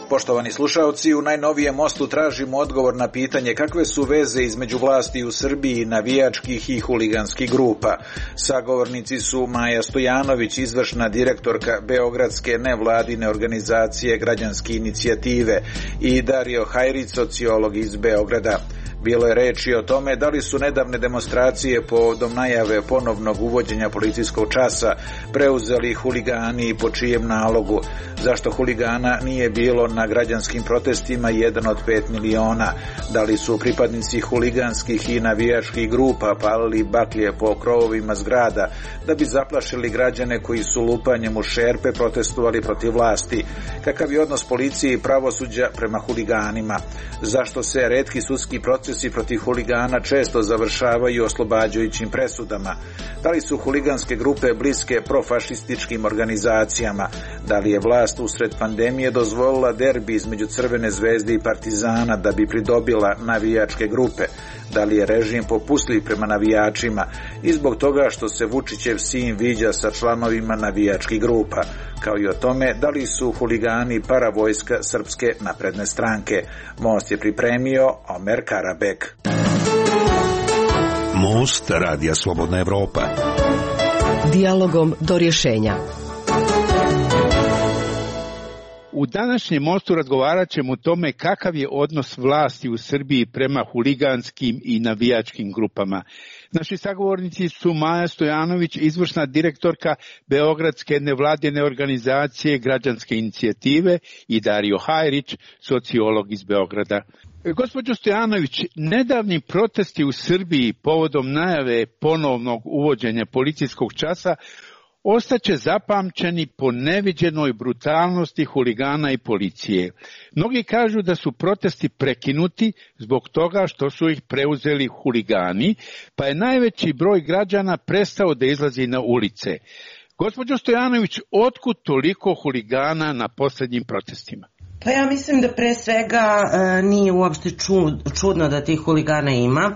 Speaker 4: Poštovani slušaoci, u najnovijem Mostu tražimo odgovor na pitanje kakve su veze između vlasti u Srbiji, navijačkih i huliganskih grupa. Sagovornici su Maja Stojanović, izvršna direktorka Beogradske nevladine organizacije Građanske inicijative, i Dario Hajrić, sociolog iz Beograda. Bilo je reči o tome da li su nedavne demonstracije povodom najave ponovnog uvođenja policijskog časa preuzeli huligani i po čijem nalogu, zašto huligana nije bilo na građanskim protestima jedan od pet miliona, da li su pripadnici huliganskih i navijačkih grupa palili baklje po krovovima zgrada da bi zaplašili građane koji su lupanjem u šerpe protestovali protiv vlasti, kakav je odnos policije i pravosuđa prema huliganima, zašto se retki sudski proces i protiv huligana često završavaju oslobađajućim presudama, da li su huliganske grupe bliske profašističkim organizacijama, da li je vlast usred pandemije dozvolila derbi između Crvene zvezde i Partizana da bi pridobila navijačke grupe, da li je režim popustljiv prema navijačima i zbog toga što se Vučićev sin viđa sa članovima navijačkih grupa, kao i o tome da li su huligani paravojska Srpske napredne stranke. Most je pripremio Omer Karabek.
Speaker 7: Most Radija Slobodna Evropa.
Speaker 22: Dijalogom do rješenja.
Speaker 10: U današnjem Mostu razgovarat ćemo o tome kakav je odnos vlasti u Srbiji prema huliganskim i navijačkim grupama. Naši sagovornici su Maja Stojanović, izvršna direktorka Beogradske nevladine organizacije Građanske inicijative, i Dario Hajrić, sociolog iz Beograda. Gospođo Stojanović, nedavni protesti u Srbiji povodom najave ponovnog uvođenja policijskog časa ostaće zapamćeni po neviđenoj brutalnosti huligana i policije. Mnogi kažu da su protesti prekinuti zbog toga što su ih preuzeli huligani, pa je najveći broj građana prestao da izlazi na ulice. Gospođo Stojanović, otkud toliko huligana na posljednjim protestima?
Speaker 11: Pa ja mislim da pre svega e, nije uopšte čud, čudno da tih huligana ima.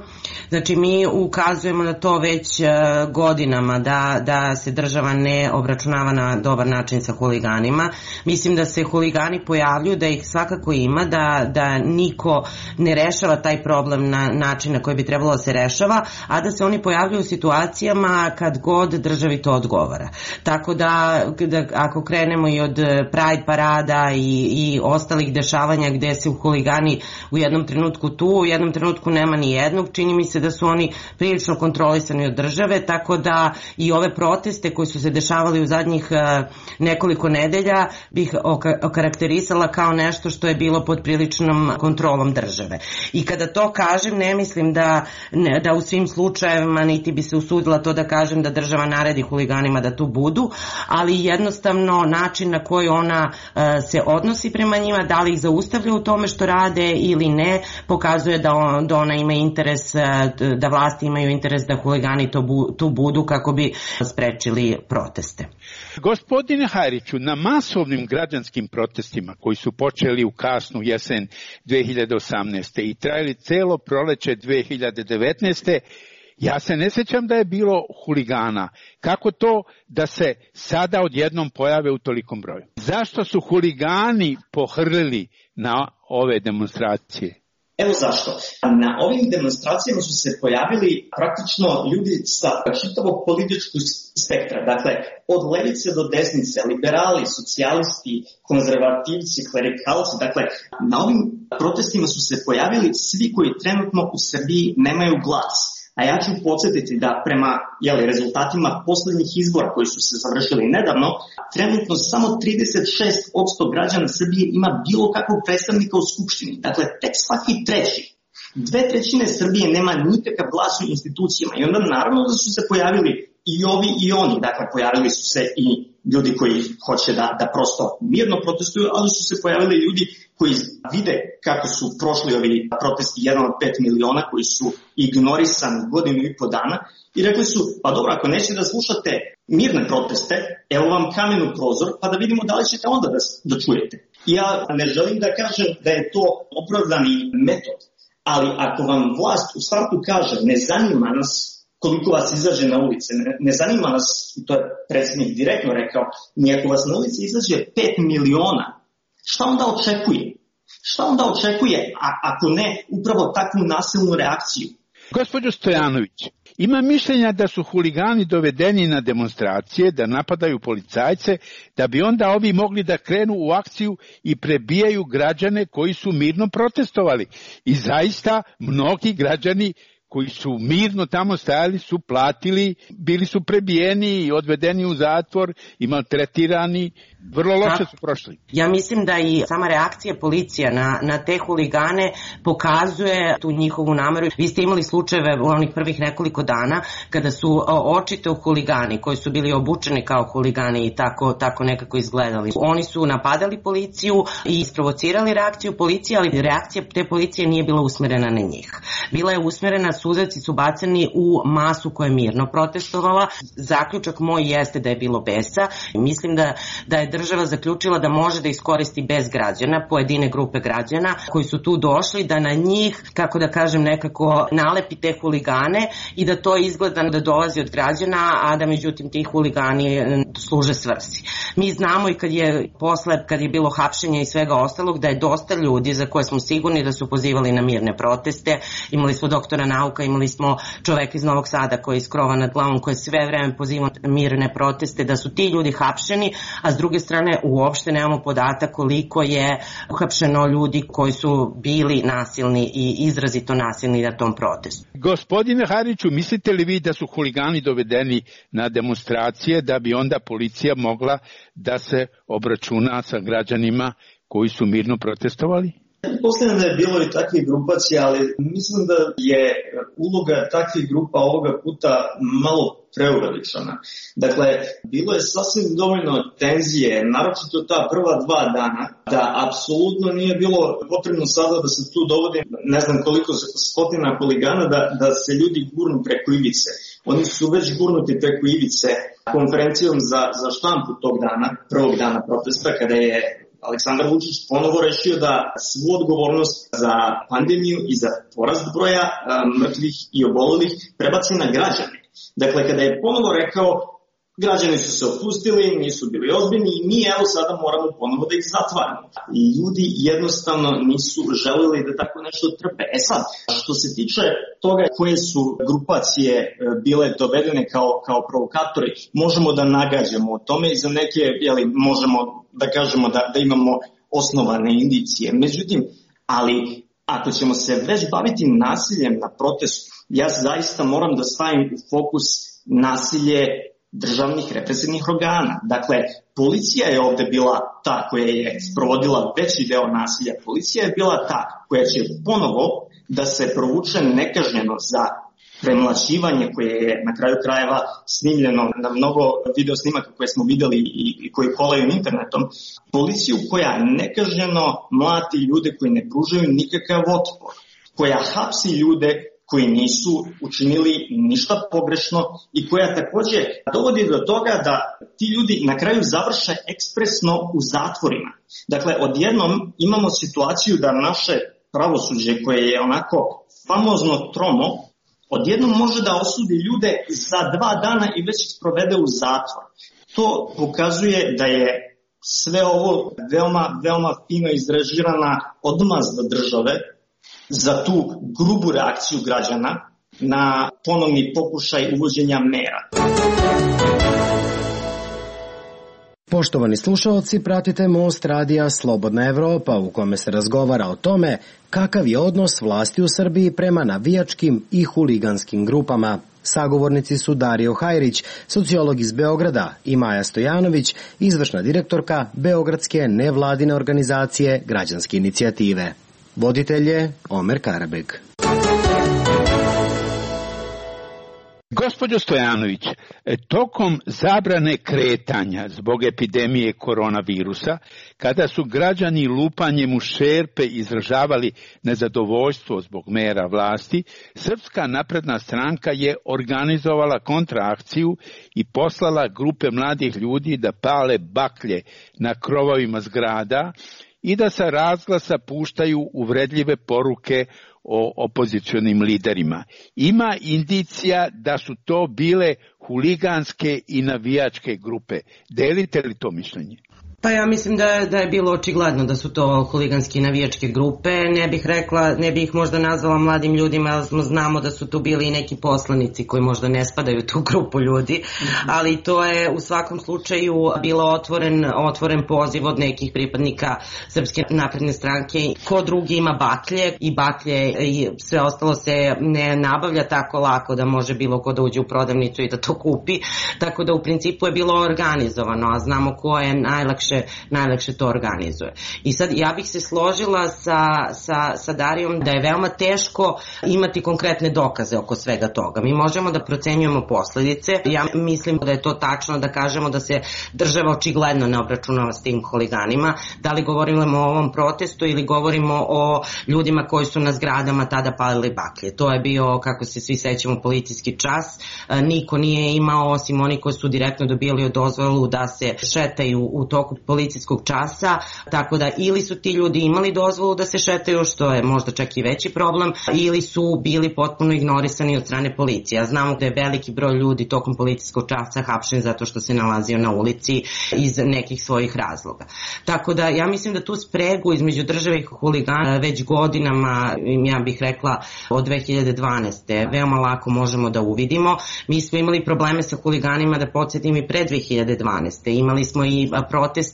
Speaker 11: Znači mi ukazujemo na to već e, godinama da, da se država ne obračunava na dobar način sa huliganima. Mislim da se huligani pojavljuju, da ih svakako ima, da, da niko ne rešava taj problem na način na koji bi trebalo da se rešava, a da se oni pojavljuju u situacijama kad god državi to odgovara. Tako da, da ako krenemo i od Pride parada i, i ostalih dešavanja gde se huligani u jednom trenutku tu, u jednom trenutku nema ni jednog, čini mi se da su oni prilično kontrolisani od države, tako da i ove proteste koji su se dešavali u zadnjih nekoliko nedelja bih okarakterisala kao nešto što je bilo pod priličnom kontrolom države. I kada to kažem, ne mislim da, ne, da u svim slučajevima niti bi se usudila to da kažem da država naredi huliganima da tu budu, ali jednostavno način na koji ona se odnosi prema njima, da li ih zaustavlja u tome što rade ili ne, pokazuje da, on, da ona ima interes, da vlasti imaju interes da huligani to bu, tu budu kako bi sprečili proteste.
Speaker 10: Gospodine Hajriću, na masovnim građanskim protestima koji su počeli u kasnu jesen dve hiljade osamnaeste. i trajali celo proleće dve hiljade devetnaeste. Ja se ne sjećam da je bilo huligana. Kako to da se sada odjednom pojave u tolikom broju? Zašto su huligani pohrlili na ove demonstracije?
Speaker 12: Evo zašto. Na ovim demonstracijama su se pojavili praktično ljudi sa čitavog političkog spektra. Dakle, od levice do desnice, liberali, socijalisti, konzervativci, klerikalci. Dakle, na ovim protestima su se pojavili svi koji trenutno u Srbiji nemaju glas. A ja ću podsjetiti da prema jeli, rezultatima poslednjih izbora koji su se završili nedavno, trenutno samo trideset šest posto građana Srbije ima bilo kakvog predstavnika u Skupštini. Dakle, tek svaki treći. Dve trećine Srbije nema nikakav glas u institucijama i onda naravno da su se pojavili i ovi i oni. Dakle, pojavili su se i ljudi koji hoće da, da prosto mirno protestuju, ali su se pojavili ljudi koji vide kako su prošli ovi protesti jedan od pet miliona koji su ignorisani godinu i po dana i rekli su, pa dobro, ako nećete da slušate mirne proteste, evo vam kamen u prozor, pa da vidimo da li ćete onda da, da čujete. Ja ne želim da kažem da je to opravdani metod, ali ako vam vlast u startu kaže ne zanima nas koliko vas izađe na ulice, ne, ne zanima nas, i to je predsjednik direktno rekao, ni ako vas na ulici izađe pet miliona, šta onda očekuje? Šta onda očekuje, a, ako ne, upravo takvu nasilnu reakciju?
Speaker 10: Gospođo Stojanović, ima mišljenja da su huligani dovedeni na demonstracije, da napadaju policajce, da bi onda ovi mogli da krenu u akciju i prebijaju građane koji su mirno protestovali. I zaista mnogi građani koji su mirno tamo stajali su platili, bili su prebijeni i odvedeni u zatvor i maltretirani, vrlo loše su prošli.
Speaker 11: Ja mislim da i sama reakcija policija na, na te huligane pokazuje tu njihovu nameru. Vi ste imali slučajeve u onih prvih nekoliko dana kada su očito huligani koji su bili obučeni kao huligani i tako, tako nekako izgledali. Oni su napadali policiju i isprovocirali reakciju policije, ali reakcija te policije nije bila usmerena na njih. Bila je usmerena, suzavci su bacani u masu koja je mirno protestovala. Zaključak moj jeste da je bilo besa. Mislim da, da je država zaključila da može da iskoristi bez građana, pojedine grupe građana koji su tu došli, da na njih, kako da kažem, nekako nalepi te huligane i da to izgleda da dolazi od građana, a da međutim ti huligani služe svrsi. Mi znamo i kad je posle, kad je bilo hapšenja i svega ostalog, da je dosta ljudi za koje smo sigurni da su pozivali na mirne proteste. Imali smo doktora nauka, imali smo čoveka iz Novog Sada koji je iz krova nad glavom, koji je sve vreme pozivao na mirne proteste, da su ti ljudi hapšeni, a s druge strane uopšte nemamo podatak koliko je uhapšeno ljudi koji su bili nasilni i izrazito nasilni na tom protestu.
Speaker 10: Gospodine Hariću, mislite li vi da su huligani dovedeni na demonstracije da bi onda policija mogla da se obračuna sa građanima koji su mirno protestovali?
Speaker 12: Posledno da je bilo i takvih grupacija, ali mislim da je uloga takvih grupa ovoga puta malo preuveličana. Dakle, bilo je sasvim dovoljno tenzije, naročito ta prva dva dana, da apsolutno nije bilo potrebno sada da se tu dovodi ne znam koliko stotina huligana da, da se ljudi gurnu preko ivice. Oni su već gurnuti preko ivice konferencijom za, za štampu tog dana, prvog dana protesta, kada je Aleksandar Vučić ponovo rešio da svu odgovornost za pandemiju i za porast broja a, mrtvih i obolelih prebaci na građane. Dakle, kada je ponovo rekao, građani su se opustili, nisu bili ozbiljni i mi evo sada moramo ponovo da ih zatvaramo. I ljudi jednostavno nisu želeli da tako nešto trpe. E sad, što se tiče toga koje su grupacije bile dovedene kao, kao provokatori, možemo da nagađamo o tome i za neke, jeli, možemo da kažemo da, da imamo osnovane indicije. Međutim, ali ako ćemo se već baviti nasiljem na protestu, ja zaista moram da stavim u fokus nasilje državnih represivnih organa. Dakle, policija je ovde bila ta koja je sprovodila veći deo nasilja. Policija je bila ta koja će ponovo da se provuče nekažnjeno za premlaćivanje koje je na kraju krajeva snimljeno na mnogo video snimaka koje smo videli i, i koji kolaju internetom. Policiju koja nekažnjeno mlati ljude koji ne pružaju nikakav otpor, koja hapsi ljude koji nisu učinili ništa pogrešno i koja takođe dovodi do toga da ti ljudi na kraju završe ekspresno u zatvorima. Dakle, odjednom imamo situaciju da naše pravosuđe koje je onako famozno tromo, odjednom može da osudi ljude za dva dana i već ih sprovede u zatvor. To pokazuje da je sve ovo veoma, veoma fino izrežirana odmazda države za tu grubu reakciju građana na ponovni pokušaj uvođenja mera.
Speaker 13: Poštovani slušalci, pratite Most radija Slobodna Evropa u kome se razgovara o tome kakav je odnos vlasti u Srbiji prema navijačkim i huliganskim grupama. Sagovornici su Dario Hajrić, sociolog iz Beograda, i Maja Stojanović, izvršna direktorka Beogradske nevladine organizacije Građanske inicijative. Voditelj je Omer Karabeg.
Speaker 10: Gospođo Stojanović, tokom zabrane kretanja zbog epidemije koronavirusa, kada su građani lupanjem u šerpe izražavali nezadovoljstvo zbog mera vlasti, Srpska napredna stranka je organizovala kontraakciju i poslala grupe mladih ljudi da pale baklje na krovovima zgrada i da sa razglasa puštaju uvredljive poruke o opozicionim liderima. Ima indicija da su to bile huliganske i navijačke grupe. Delite li to mišljenje?
Speaker 11: Pa ja mislim da, da je bilo očigledno da su to huliganske i navijačke grupe. Ne bih rekla, ne bih ih možda nazvala mladim ljudima, ali znamo da su tu bili i neki poslanici koji možda ne spadaju u tu grupu ljudi, ali to je u svakom slučaju bilo otvoren, otvoren poziv od nekih pripadnika Srpske napredne stranke. Ko drugi ima baklje i baklje i sve ostalo se ne nabavlja tako lako da može bilo ko da uđe u prodavnicu i da to kupi, tako da u principu je bilo organizovano, a znamo ko je najlakše najlakše to organizuje. I sad ja bih se složila sa, sa, sa Darijom da je veoma teško imati konkretne dokaze oko svega toga. Mi možemo da procenjujemo posledice. Ja mislim da je to tačno da kažemo da se država očigledno ne obračunava s tim huliganima. Da li govorimo o ovom protestu ili govorimo o ljudima koji su na zgradama tada palili baklje. To je bio, kako se svi sećamo, policijski čas. Niko nije imao, osim oni koji su direktno dobili dozvolu da se šetaju u toku policijskog časa, tako da ili su ti ljudi imali dozvolu da se šetaju, što je možda čak i veći problem, ili su bili potpuno ignorisani od strane policije. Znamo da je veliki broj ljudi tokom policijskog časa hapšen zato što se nalazio na ulici iz nekih svojih razloga. Tako da ja mislim da tu spregu između države i huligana već godinama, ja bih rekla od dve hiljade dvanaeste. veoma lako možemo da uvidimo. Mi smo imali probleme sa huliganima, da podsjetim, i pre dve hiljade dvanaeste. Imali smo i proteste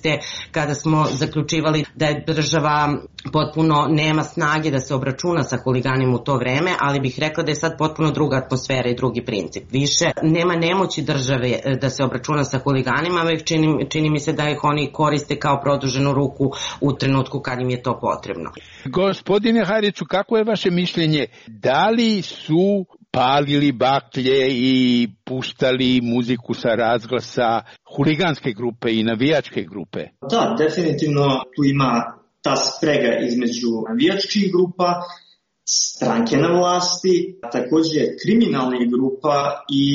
Speaker 11: kada smo zaključivali da je država potpuno nema snage da se obračuna sa huliganima u to vreme, ali bih rekla da je sad potpuno druga atmosfera i drugi princip. Više nema nemoći države da se obračuna sa huliganima, već čini, čini mi se da ih oni koriste kao produženu ruku u trenutku kad im je to potrebno.
Speaker 10: Gospodine Hariću, kako je vaše mišljenje? Da li su palili baklje i puštali muziku sa razglasa huliganske grupe i navijačke grupe?
Speaker 12: Da, definitivno tu ima ta sprega između navijačkih grupa, stranke na vlasti, takođe kriminalnih grupa i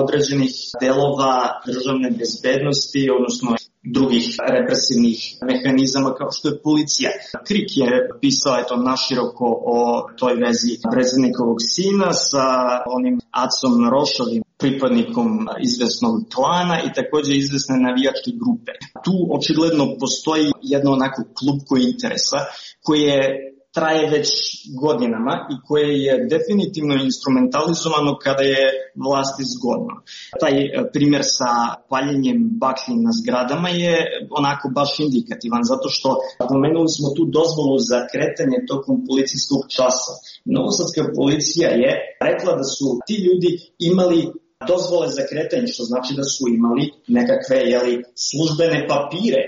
Speaker 12: određenih delova državne bezbednosti, odnosno drugih represivnih mehanizama kao što je policija. Krik je pisao eto naširoko o toj vezi predsednikovog sina sa onim Acom Rošovim, pripadnikom izvesnog klana i takođe izvesne navijačke grupe. Tu očigledno postoji jedno onako klupko interesa koje traje već godinama i koje je definitivno instrumentalizovano kada je vlasti zgodno. Taj primjer sa paljenjem baklji na zgradama je onako baš indikativan, zato što pomenuli smo tu dozvolu za kretanje tokom policijskog časa. Novosadska policija je rekla da su ti ljudi imali dozvole za kretanje, što znači da su imali nekakve jeli, službene papire.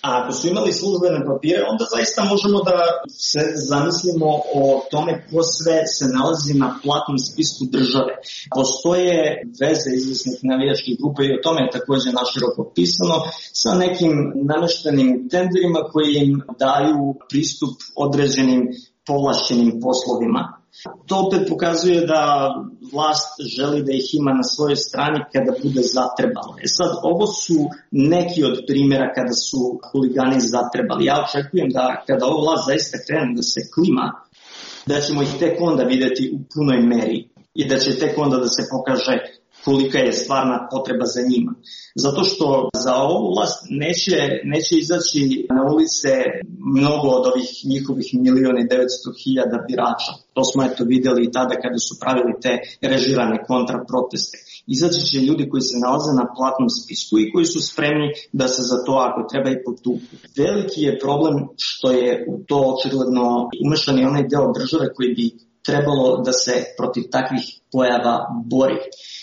Speaker 12: A ako su imali službene papire, onda zaista možemo da se zamislimo o tome ko sve se nalazi na platnom spisku države. Postoje veze izvesnih navijačkih grupa i o tome je takođe naširoko pisano sa nekim nameštenim tenderima koji im daju pristup određenim povlašćenim poslovima. To opet pokazuje da vlast želi da ih ima na svojoj strani kada bude zatrebalo. E sad, ovo su neki od primjera kada su huligani zatrebali. Ja očekujem da kada ova vlast zaista krene da se klima, da ćemo ih tek onda videti u punoj meri i da će tek onda da se pokaže kolika je stvarna potreba za njima. Zato što za ovu vlast neće, neće izaći na ulice mnogo od ovih njihovih miliona i devetsto hiljada birača. To smo eto videli i tada kada su pravili te režirane kontraproteste. Izaći će ljudi koji se nalaze na platnom spisku i koji su spremni da se za to, ako treba, i potuku. Veliki je problem što je u to očigledno umešan i onaj deo države koji bi trebalo da se protiv takvih pojava bori.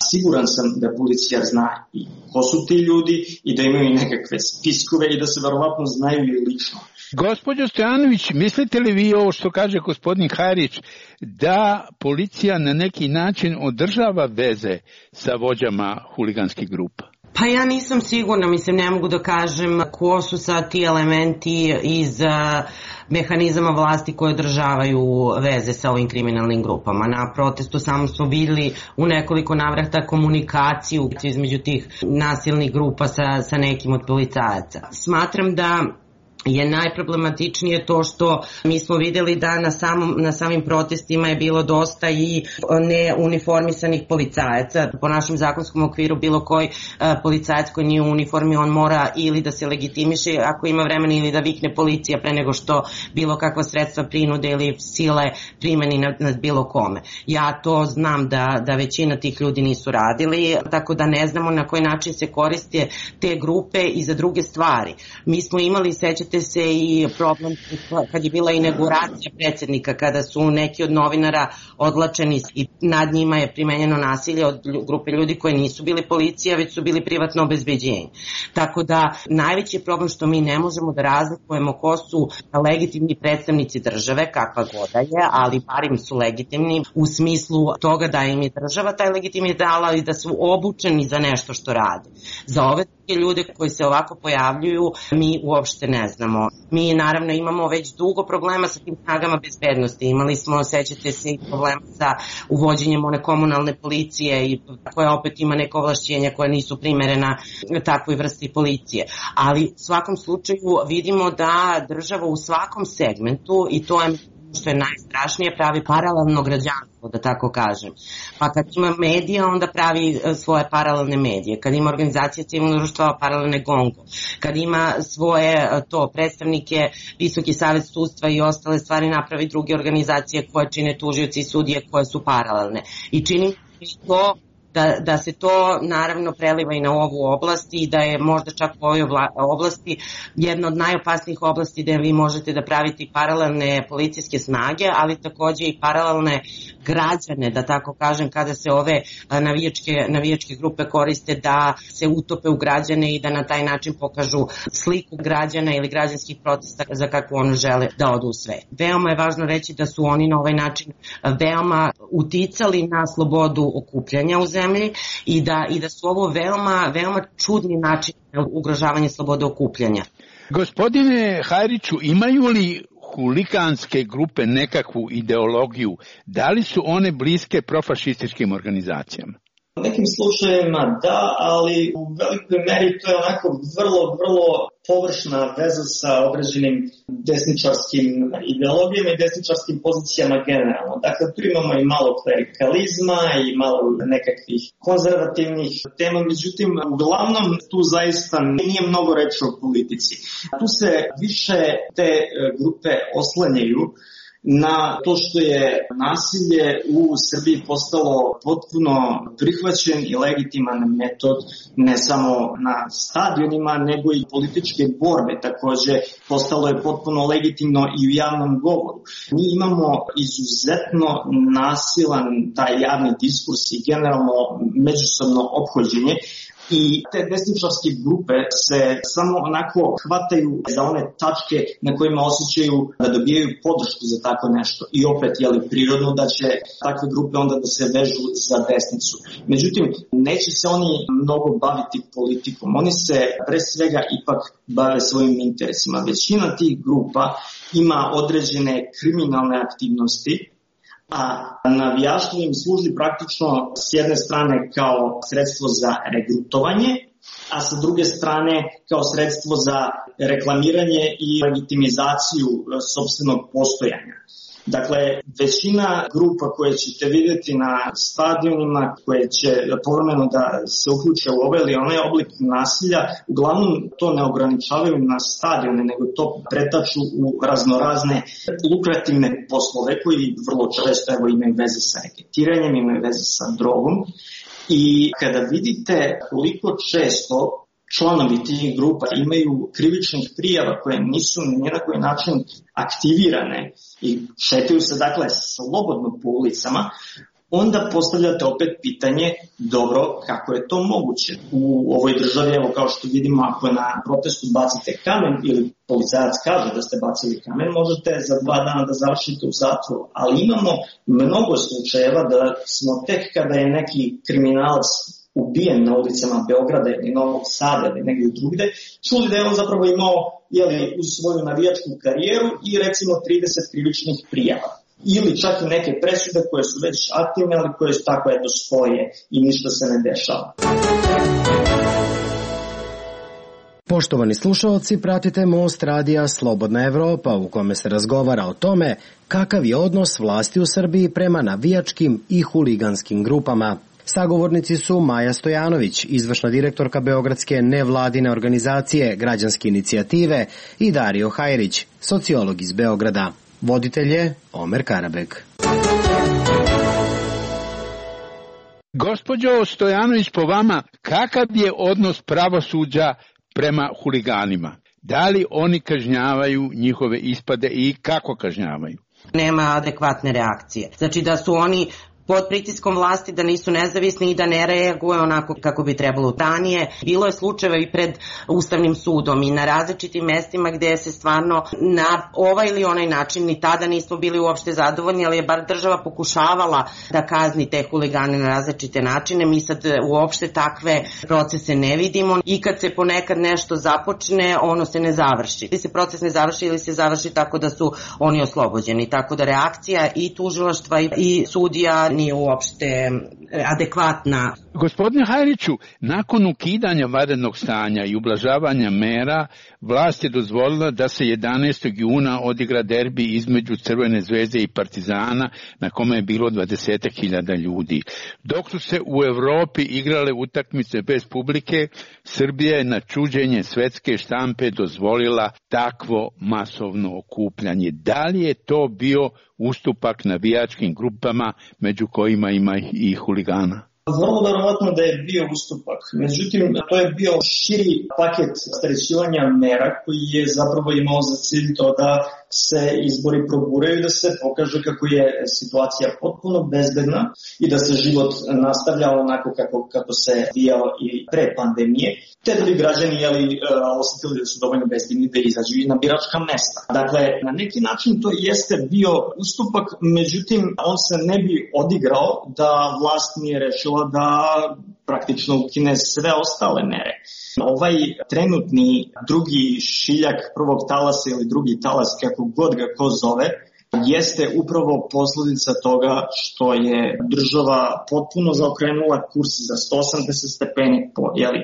Speaker 12: Siguran sam da policija zna i ko su ti ljudi i da imaju nekakve spiskove i da se verovatno znaju i lično.
Speaker 10: Gospođo Stojanović, mislite li vi ovo što kaže gospodin Hajrić, da policija na neki način održava veze sa vođama huliganskih grupa?
Speaker 11: Pa ja nisam sigurna, mislim, ne mogu da kažem ko su sad ti elementi iz mehanizama vlasti koje održavaju veze sa ovim kriminalnim grupama. Na protestu samo smo vidjeli u nekoliko navrata komunikaciju između tih nasilnih grupa sa, sa nekim od policajaca. Smatram da je najproblematičnije to što mi smo vidjeli da na, samom, na samim protestima je bilo dosta i neuniformisanih policajaca. Po našem zakonskom okviru bilo koji uh, policajac koji nije u uniformi, on mora ili da se legitimiše ako ima vremena ili da vikne policija pre nego što bilo kakva sredstva prinude ili sile primeni nad, nad bilo kome. Ja to znam da, da većina tih ljudi nisu radili, tako da ne znamo na koji način se koriste te grupe i za druge stvari. Mi smo imali, sećate se, i problem kad je bila inauguracija predsjednika, kada su neki od novinara odlačeni i nad njima je primenjeno nasilje od grupe ljudi koji nisu bili policija, već su bili privatno obezbeđenje. Tako da najveći je problem što mi ne možemo da razlikujemo ko su legitimni predstavnici države, kakva goda je, ali barim su legitimni u smislu toga da im je država taj legitimitet dala i da su obučeni za nešto što rade. Za ove ljude koji se ovako pojavljuju mi uopšte ne znamo. Mi naravno imamo već dugo problema sa tim snagama bezbednosti. Imali smo, sećate se, i problema sa uvođenjem one komunalne policije i koja opet ima neke ovlašćenja koja nisu primerena takvoj vrsti policije. Ali u svakom slučaju vidimo da država u svakom segmentu, i to je što je najstrašnije, pravi paralelno građanstvo, da tako kažem. Pa kad ima medija, onda pravi svoje paralelne medije. Kad ima organizacije civilnog društva, paralelne Gongo. Kad ima svoje to predstavnike, Visoki savet sudstva i ostale stvari, napravi druge organizacije koje čine tužioci i sudije koje su paralelne. I čini to Da, da se to naravno preliva i na ovu oblast i da je možda čak u ovoj oblasti jedna od najopasnijih oblasti gde vi možete da pravite paralelne policijske snage, ali takođe i paralelne građane, da tako kažem, kada se ove navijačke, navijačke grupe koriste da se utope u građane i da na taj način pokažu sliku građana ili građanskih protesta za kakvu ono žele da odu u svet. Veoma je važno reći da su oni na ovaj način veoma uticali na slobodu okupljanja u zemlji i da, i da su ovo veoma, veoma čudni način ugrožavanja slobode okupljanja.
Speaker 10: Gospodine Hajriću, imaju li huliganske grupe nekakvu ideologiju? Da li su one bliske profašističkim organizacijama?
Speaker 12: U nekim slučajevima da, ali u velikoj meri to je onako vrlo, vrlo površna veza sa određenim desničarskim ideologijama i desničarskim pozicijama generalno. Dakle, tu imamo i malo klerikalizma i malo nekakvih konzervativnih tema, međutim, uglavnom tu zaista nije mnogo reči o politici. Tu se više te grupe oslanjaju na to što je nasilje u Srbiji postalo potpuno prihvaćen i legitiman metod ne samo na stadionima, nego i političke borbe. Takođe, postalo je potpuno legitimno i u javnom govoru. Mi imamo izuzetno nasilan taj javni diskurs i generalno međusobno ophođenje. I te desničarske grupe se samo onako hvataju za one tačke na kojima osjećaju da dobijaju podršku za tako nešto. I opet je li prirodno da će takve grupe onda da se vežu za desnicu. Međutim, neće se oni mnogo baviti politikom. Oni se pre svega ipak bave svojim interesima. Većina tih grupa ima određene kriminalne aktivnosti, a navijaštvo im služi praktično s jedne strane kao sredstvo za regrutovanje, a sa druge strane kao sredstvo za reklamiranje i legitimizaciju sopstvenog postojanja. Dakle, većina grupa koje ćete vidjeti na stadionima, koje će povremeno da se uključe u ovaj ili onaj oblik nasilja, uglavnom to ne ograničavaju na stadione, nego to pretaču u raznorazne lukrativne poslove koji vrlo često evo, imaju veze sa reketiranjem, imaju veze sa drogom. I kada vidite koliko često članovi tih grupa imaju krivičnih prijava koje nisu ni na koji način aktivirane i šetaju se dakle slobodno po ulicama, onda postavljate opet pitanje, dobro, kako je to moguće? U ovoj državi, evo kao što vidimo, ako na protestu bacite kamen ili policajac kaže da ste bacili kamen, možete za dva dana da završite u zatvoru. Ali imamo mnogo slučajeva da smo tek kada je neki kriminalac ubijen na ulicama Beograda ili Novog Sada ili negdje drugde, čuli da je on zapravo imao jeli, uz svoju navijačku karijeru i recimo trideset krivičnih prijava. Ili čak i neke presude koje su već aktivne, ali koje su tako eto stoje i ništa se ne dešava.
Speaker 13: Poštovani slušalci, pratite Most radija Slobodna Evropa u kome se razgovara o tome kakav je odnos vlasti u Srbiji prema navijačkim i huliganskim grupama. Sagovornici su Maja Stojanović, izvršna direktorka Beogradske nevladine organizacije Građanske inicijative, i Dario Hajrić, sociolog iz Beograda. Voditelj je Omer Karabek.
Speaker 10: Gospođo Stojanović, po vama, kakav je odnos pravosuđa prema huliganima? Da li oni kažnjavaju njihove ispade i kako kažnjavaju?
Speaker 11: Nema adekvatne reakcije. Znači da su oni pod pritiskom vlasti, da nisu nezavisni i da ne reaguju onako kako bi trebalo. Ranije bilo je slučajeva i pred Ustavnim sudom i na različitim mestima gde se stvarno na ovaj ili onaj način, ni tada nismo bili uopšte zadovoljni, ali je bar država pokušavala da kazni te huligane na različite načine. Mi sad uopšte takve procese ne vidimo i kad se ponekad nešto započne, ono se ne završi. Ili se proces ne završi ili se završi tako da su oni oslobođeni. Tako da reakcija i tužilaštva i sudija nije uopšte adekvatna.
Speaker 10: Gospodine Hajriću, nakon ukidanja vanrednog stanja i ublažavanja mera, vlast je dozvolila da se jedanaestog juna odigra derbi između Crvene zvezde i Partizana, na kome je bilo dvadeset hiljada ljudi. Dok su se u Evropi igrale utakmice bez publike, Srbija je na čuđenje svetske štampe dozvolila takvo masovno okupljanje. Da li je to bio ustupak navijačkim grupama, među kojima ima i huligana?
Speaker 12: Vrlo verovatno da je bio ustupak. Međutim, to je bio širi paket strećivanja mera koji je zapravo imao za cilj to da se izbori proguraju i da se pokaže kako je situacija potpuno bezbedna i da se život nastavlja onako kako, kako se vijao i pre pandemije, te da bi građani jeli, osetili da su dovoljno bezbedni da izađu i na biračka mesta. Dakle, na neki način to jeste bio ustupak, međutim, on se ne bi odigrao da vlast nije rešila da praktično ukine sve ostale mere. Ovaj trenutni drugi šiljak prvog talasa ili drugi talas, kako god ga ko zove, jeste upravo posljedica toga što je država potpuno zaokrenula kurs za sto osamdeset stepeni po jeli,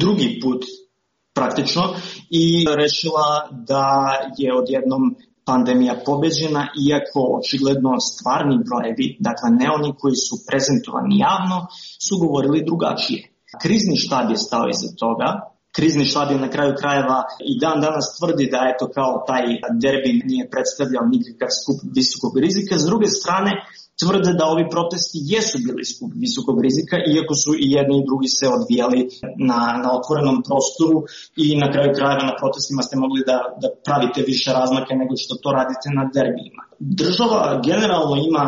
Speaker 12: drugi put praktično i rešila da je odjednom pandemija pobeđena, iako očigledno stvarni brojevi, dakle ne oni koji su prezentovani javno, su govorili drugačije. Krizni štab je stao iza toga. Krizni štab je na kraju krajeva i dan danas tvrdi da eto kao taj derbi nije predstavljao nikakav skup visokog rizika. S druge strane, tvrde da ovi protesti jesu bili skup visokog rizika, iako su i jedni i drugi se odvijali na, na otvorenom prostoru i na kraju krajeva na protestima ste mogli da, da pravite više razmaka nego što to radite na derbijima. Država generalno ima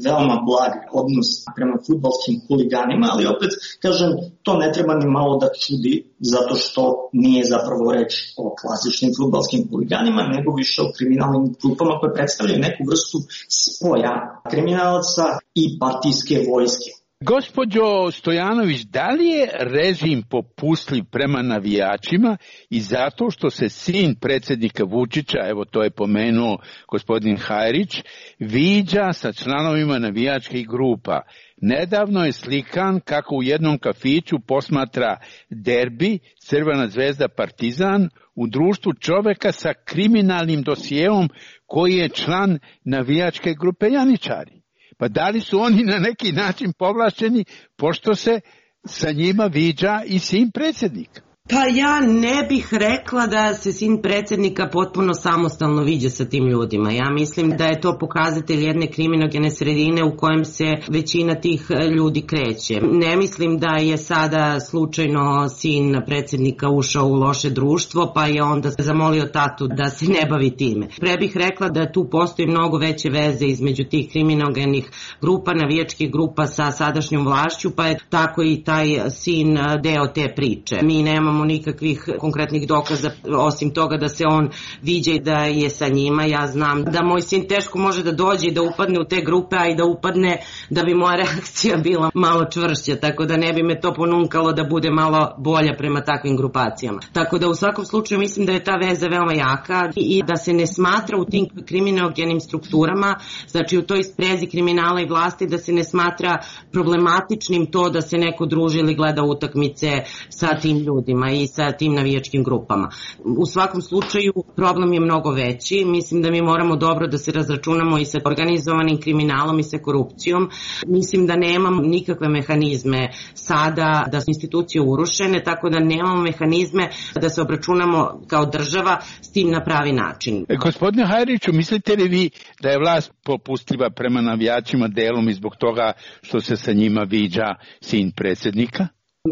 Speaker 12: veoma blag odnos prema fudbalskim huliganima, ali opet, kažem, to ne treba ni malo da čudi, zato što nije zapravo reč o klasičnim fudbalskim huliganima, nego više o kriminalnim grupama koje predstavljaju neku vrstu spoja kriminalaca i partijske vojske.
Speaker 10: Gospođo Stojanović, da li je režim popustljiv prema navijačima i zato što se sin predsjednika Vučića, evo to je pomenuo gospodin Hajrić, viđa sa članovima navijačkih grupa? Nedavno je slikan kako u jednom kafiću posmatra derbi Crvena zvezda Partizan u društvu čoveka sa kriminalnim dosijeom koji je član navijačke grupe Janičari. Pa da li su oni na neki način povlašćeni pošto se sa njima viđa i sin predsjednika?
Speaker 11: Pa ja ne bih rekla da se sin predsjednika potpuno samostalno viđa sa tim ljudima. Ja mislim da je to pokazatelj jedne kriminogene sredine u kojem se većina tih ljudi kreće. Ne mislim da je sada slučajno sin predsjednika ušao u loše društvo pa je onda zamolio tatu da se ne bavi time. Pre bih rekla da tu postoji mnogo veće veze između tih kriminogenih grupa, navijačkih grupa sa sadašnjom vlašću, pa je tako i taj sin deo te priče. Mi nemamo nikakvih konkretnih dokaza osim toga da se on viđa i da je sa njima. Ja znam da moj sin teško može da dođe i da upadne u te grupe, a i da upadne da bi moja reakcija bila malo čvršća, tako da ne bi me to ponunkalo da bude malo bolja prema takvim grupacijama. Tako da u svakom slučaju mislim da je ta veza veoma jaka i da se ne smatra u tim kriminogenim strukturama, znači u toj sprezi kriminala i vlasti, da se ne smatra problematičnim to da se neko druži ili gleda utakmice sa tim ljudima i sa tim navijačkim grupama. U svakom slučaju problem je mnogo veći. Mislim da mi moramo dobro da se razračunamo i sa organizovanim kriminalom i sa korupcijom. Mislim da nemamo nikakve mehanizme sada da su institucije urušene, tako da nemamo mehanizme da se obračunamo kao država s tim na pravi način.
Speaker 10: E, gospodine Hajriću, mislite li vi da je vlast popustljiva prema navijačima delom i zbog toga što se sa njima viđa sin predsjednika?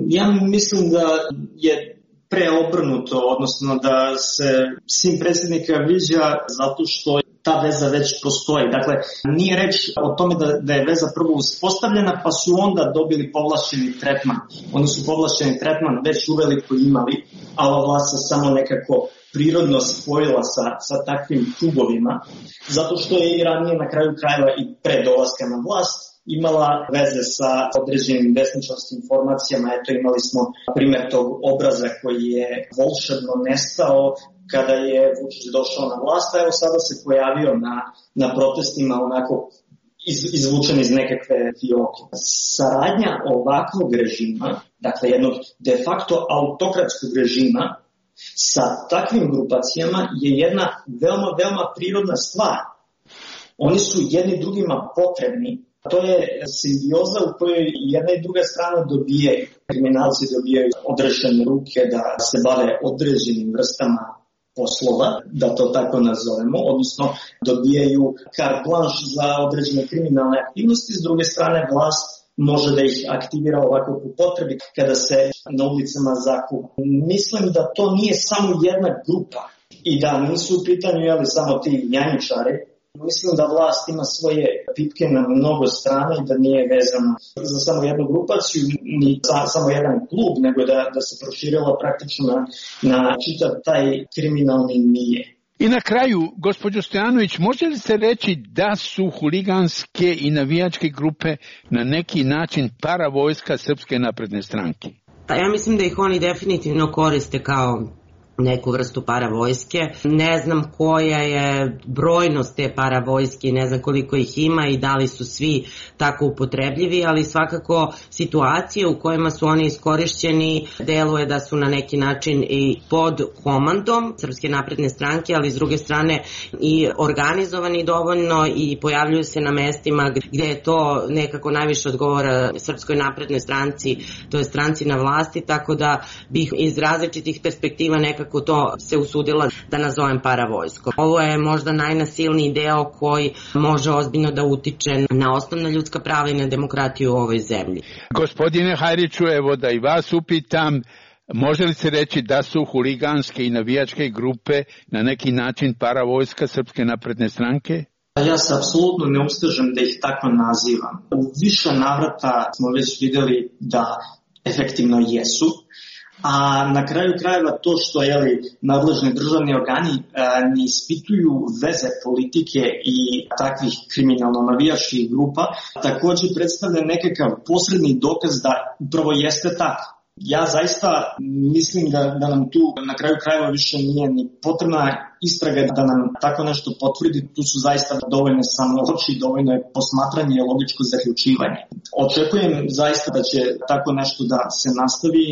Speaker 12: Ja mislim da je preobrnuto, odnosno da se sin predsjednika viđa zato što ta veza već postoji. Dakle, nije reč o tome da, da je veza prvo uspostavljena pa su onda dobili povlašćeni tretman. Oni su povlašćeni tretman već uveliko imali, a ova vlast se samo nekako prirodno spojila sa, sa takvim klubovima, zato što je i ranije na kraju krajeva i pre dolaska na vlast imala veze sa određenim desničarskim informacijama. Eto, imali smo primjer tog obraza koji je volšebno nestao kada je Vučić došao na vlast, a evo sada se pojavio na, na protestima onako iz, izvučen iz nekakve fioke. Saradnja ovakvog režima, dakle jednog de facto autokratskog režima sa takvim grupacijama je jedna veoma, veoma prirodna stvar. Oni su jedni drugima potrebni. To je simbioza u kojoj jedna i druga strana dobijaju. Kriminalci dobijaju odrešene ruke da se bave određenim vrstama poslova, da to tako nazovemo, odnosno dobijaju carte blanche za određene kriminalne aktivnosti. S druge strane, vlast može da ih aktivira ovako po potrebi kada se na ulicama zakuva. Mislim da to nije samo jedna grupa i da nisu u pitanju jeli, samo ti janjičari. Mislim da vlast ima svoje pipke na mnogo strana i da nije vezana za samo jednu grupaciju, ni za samo jedan klub, nego da, da se proširila praktično na, na čitav taj kriminalni nije.
Speaker 10: I na kraju, gospođo Stojanović, može li se reći da su huliganske i navijačke grupe na neki način paravojska Srpske napredne stranke?
Speaker 11: Pa ja mislim da ih oni definitivno koriste kao neku vrstu paravojske. Ne znam koja je brojnost te paravojske, ne znam koliko ih ima i da li su svi tako upotrebljivi, ali svakako situacije u kojima su oni iskorišćeni deluje da su na neki način i pod komandom Srpske napredne stranke, ali s druge strane i organizovani dovoljno i pojavljuju se na mestima gde je to nekako najviše odgovora Srpskoj naprednoj stranci, to je stranci na vlasti, tako da bih iz različitih perspektiva nekako kako to se usudila da nazovem paravojsko. Ovo je možda najnasilniji deo koji može ozbiljno da utiče na osnovna ljudska prava i na demokratiju u ovoj zemlji.
Speaker 10: Gospodine Hajriću, evo da i vas upitam, može li se reći da su huliganske i navijačke grupe na neki način paravojska Srpske napredne stranke?
Speaker 12: Ja se apsolutno ne ustežem da ih tako nazivam. U više navrata smo već videli da efektivno jesu. a na kraju krajeva to što jeli, nadležni državni organi ne ispituju veze politike i takvih kriminalno-navijačkih grupa, takođe predstavlja nekakav posredni dokaz da upravo jeste tako. Ja zaista mislim da, da nam tu na kraju krajeva više nije ni potrebna istraga da nam tako nešto potvrdi. Tu su zaista dovoljne samo oči, dovoljno je posmatranje i logičko zaključivanje. Očekujem zaista da će tako nešto da se nastavi.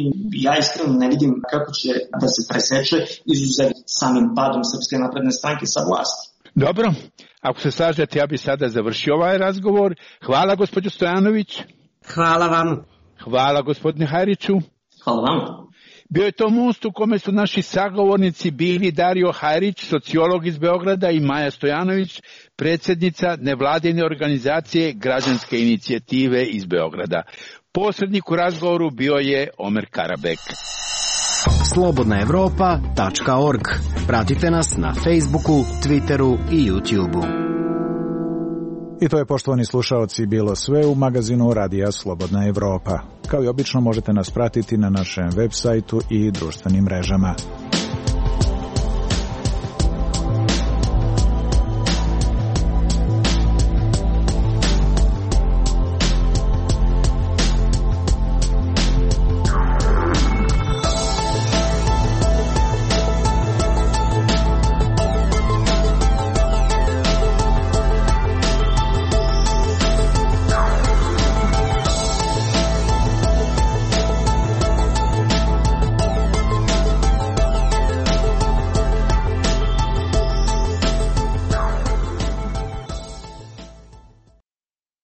Speaker 12: Ja iskreno ne vidim kako će da se preseče izuzev samim padom Srpske napredne stranke sa vlasti.
Speaker 10: Dobro, ako se slažete, ja bih sada završio ovaj razgovor. Hvala gospođo Stojanović.
Speaker 11: Hvala vam.
Speaker 10: Hvala gospodine Hajriću.
Speaker 12: Hvala vam.
Speaker 10: Bio je to most u kome su naši sagovornici bili Dario Hajrić, sociolog iz Beograda, i Maja Stojanović, predsjednica nevladine organizacije Građanske inicijative iz Beograda. Posrednik u razgovoru bio je Omer Karabek.
Speaker 13: slobodna evropa tačka org. Pratite nas na Facebooku, Twitteru i YouTubeu.
Speaker 15: I to je, poštovani slušaoci, bilo sve u magazinu Radija Slobodna Evropa. Kao i obično možete nas pratiti na našem web sajtu i društvenim mrežama.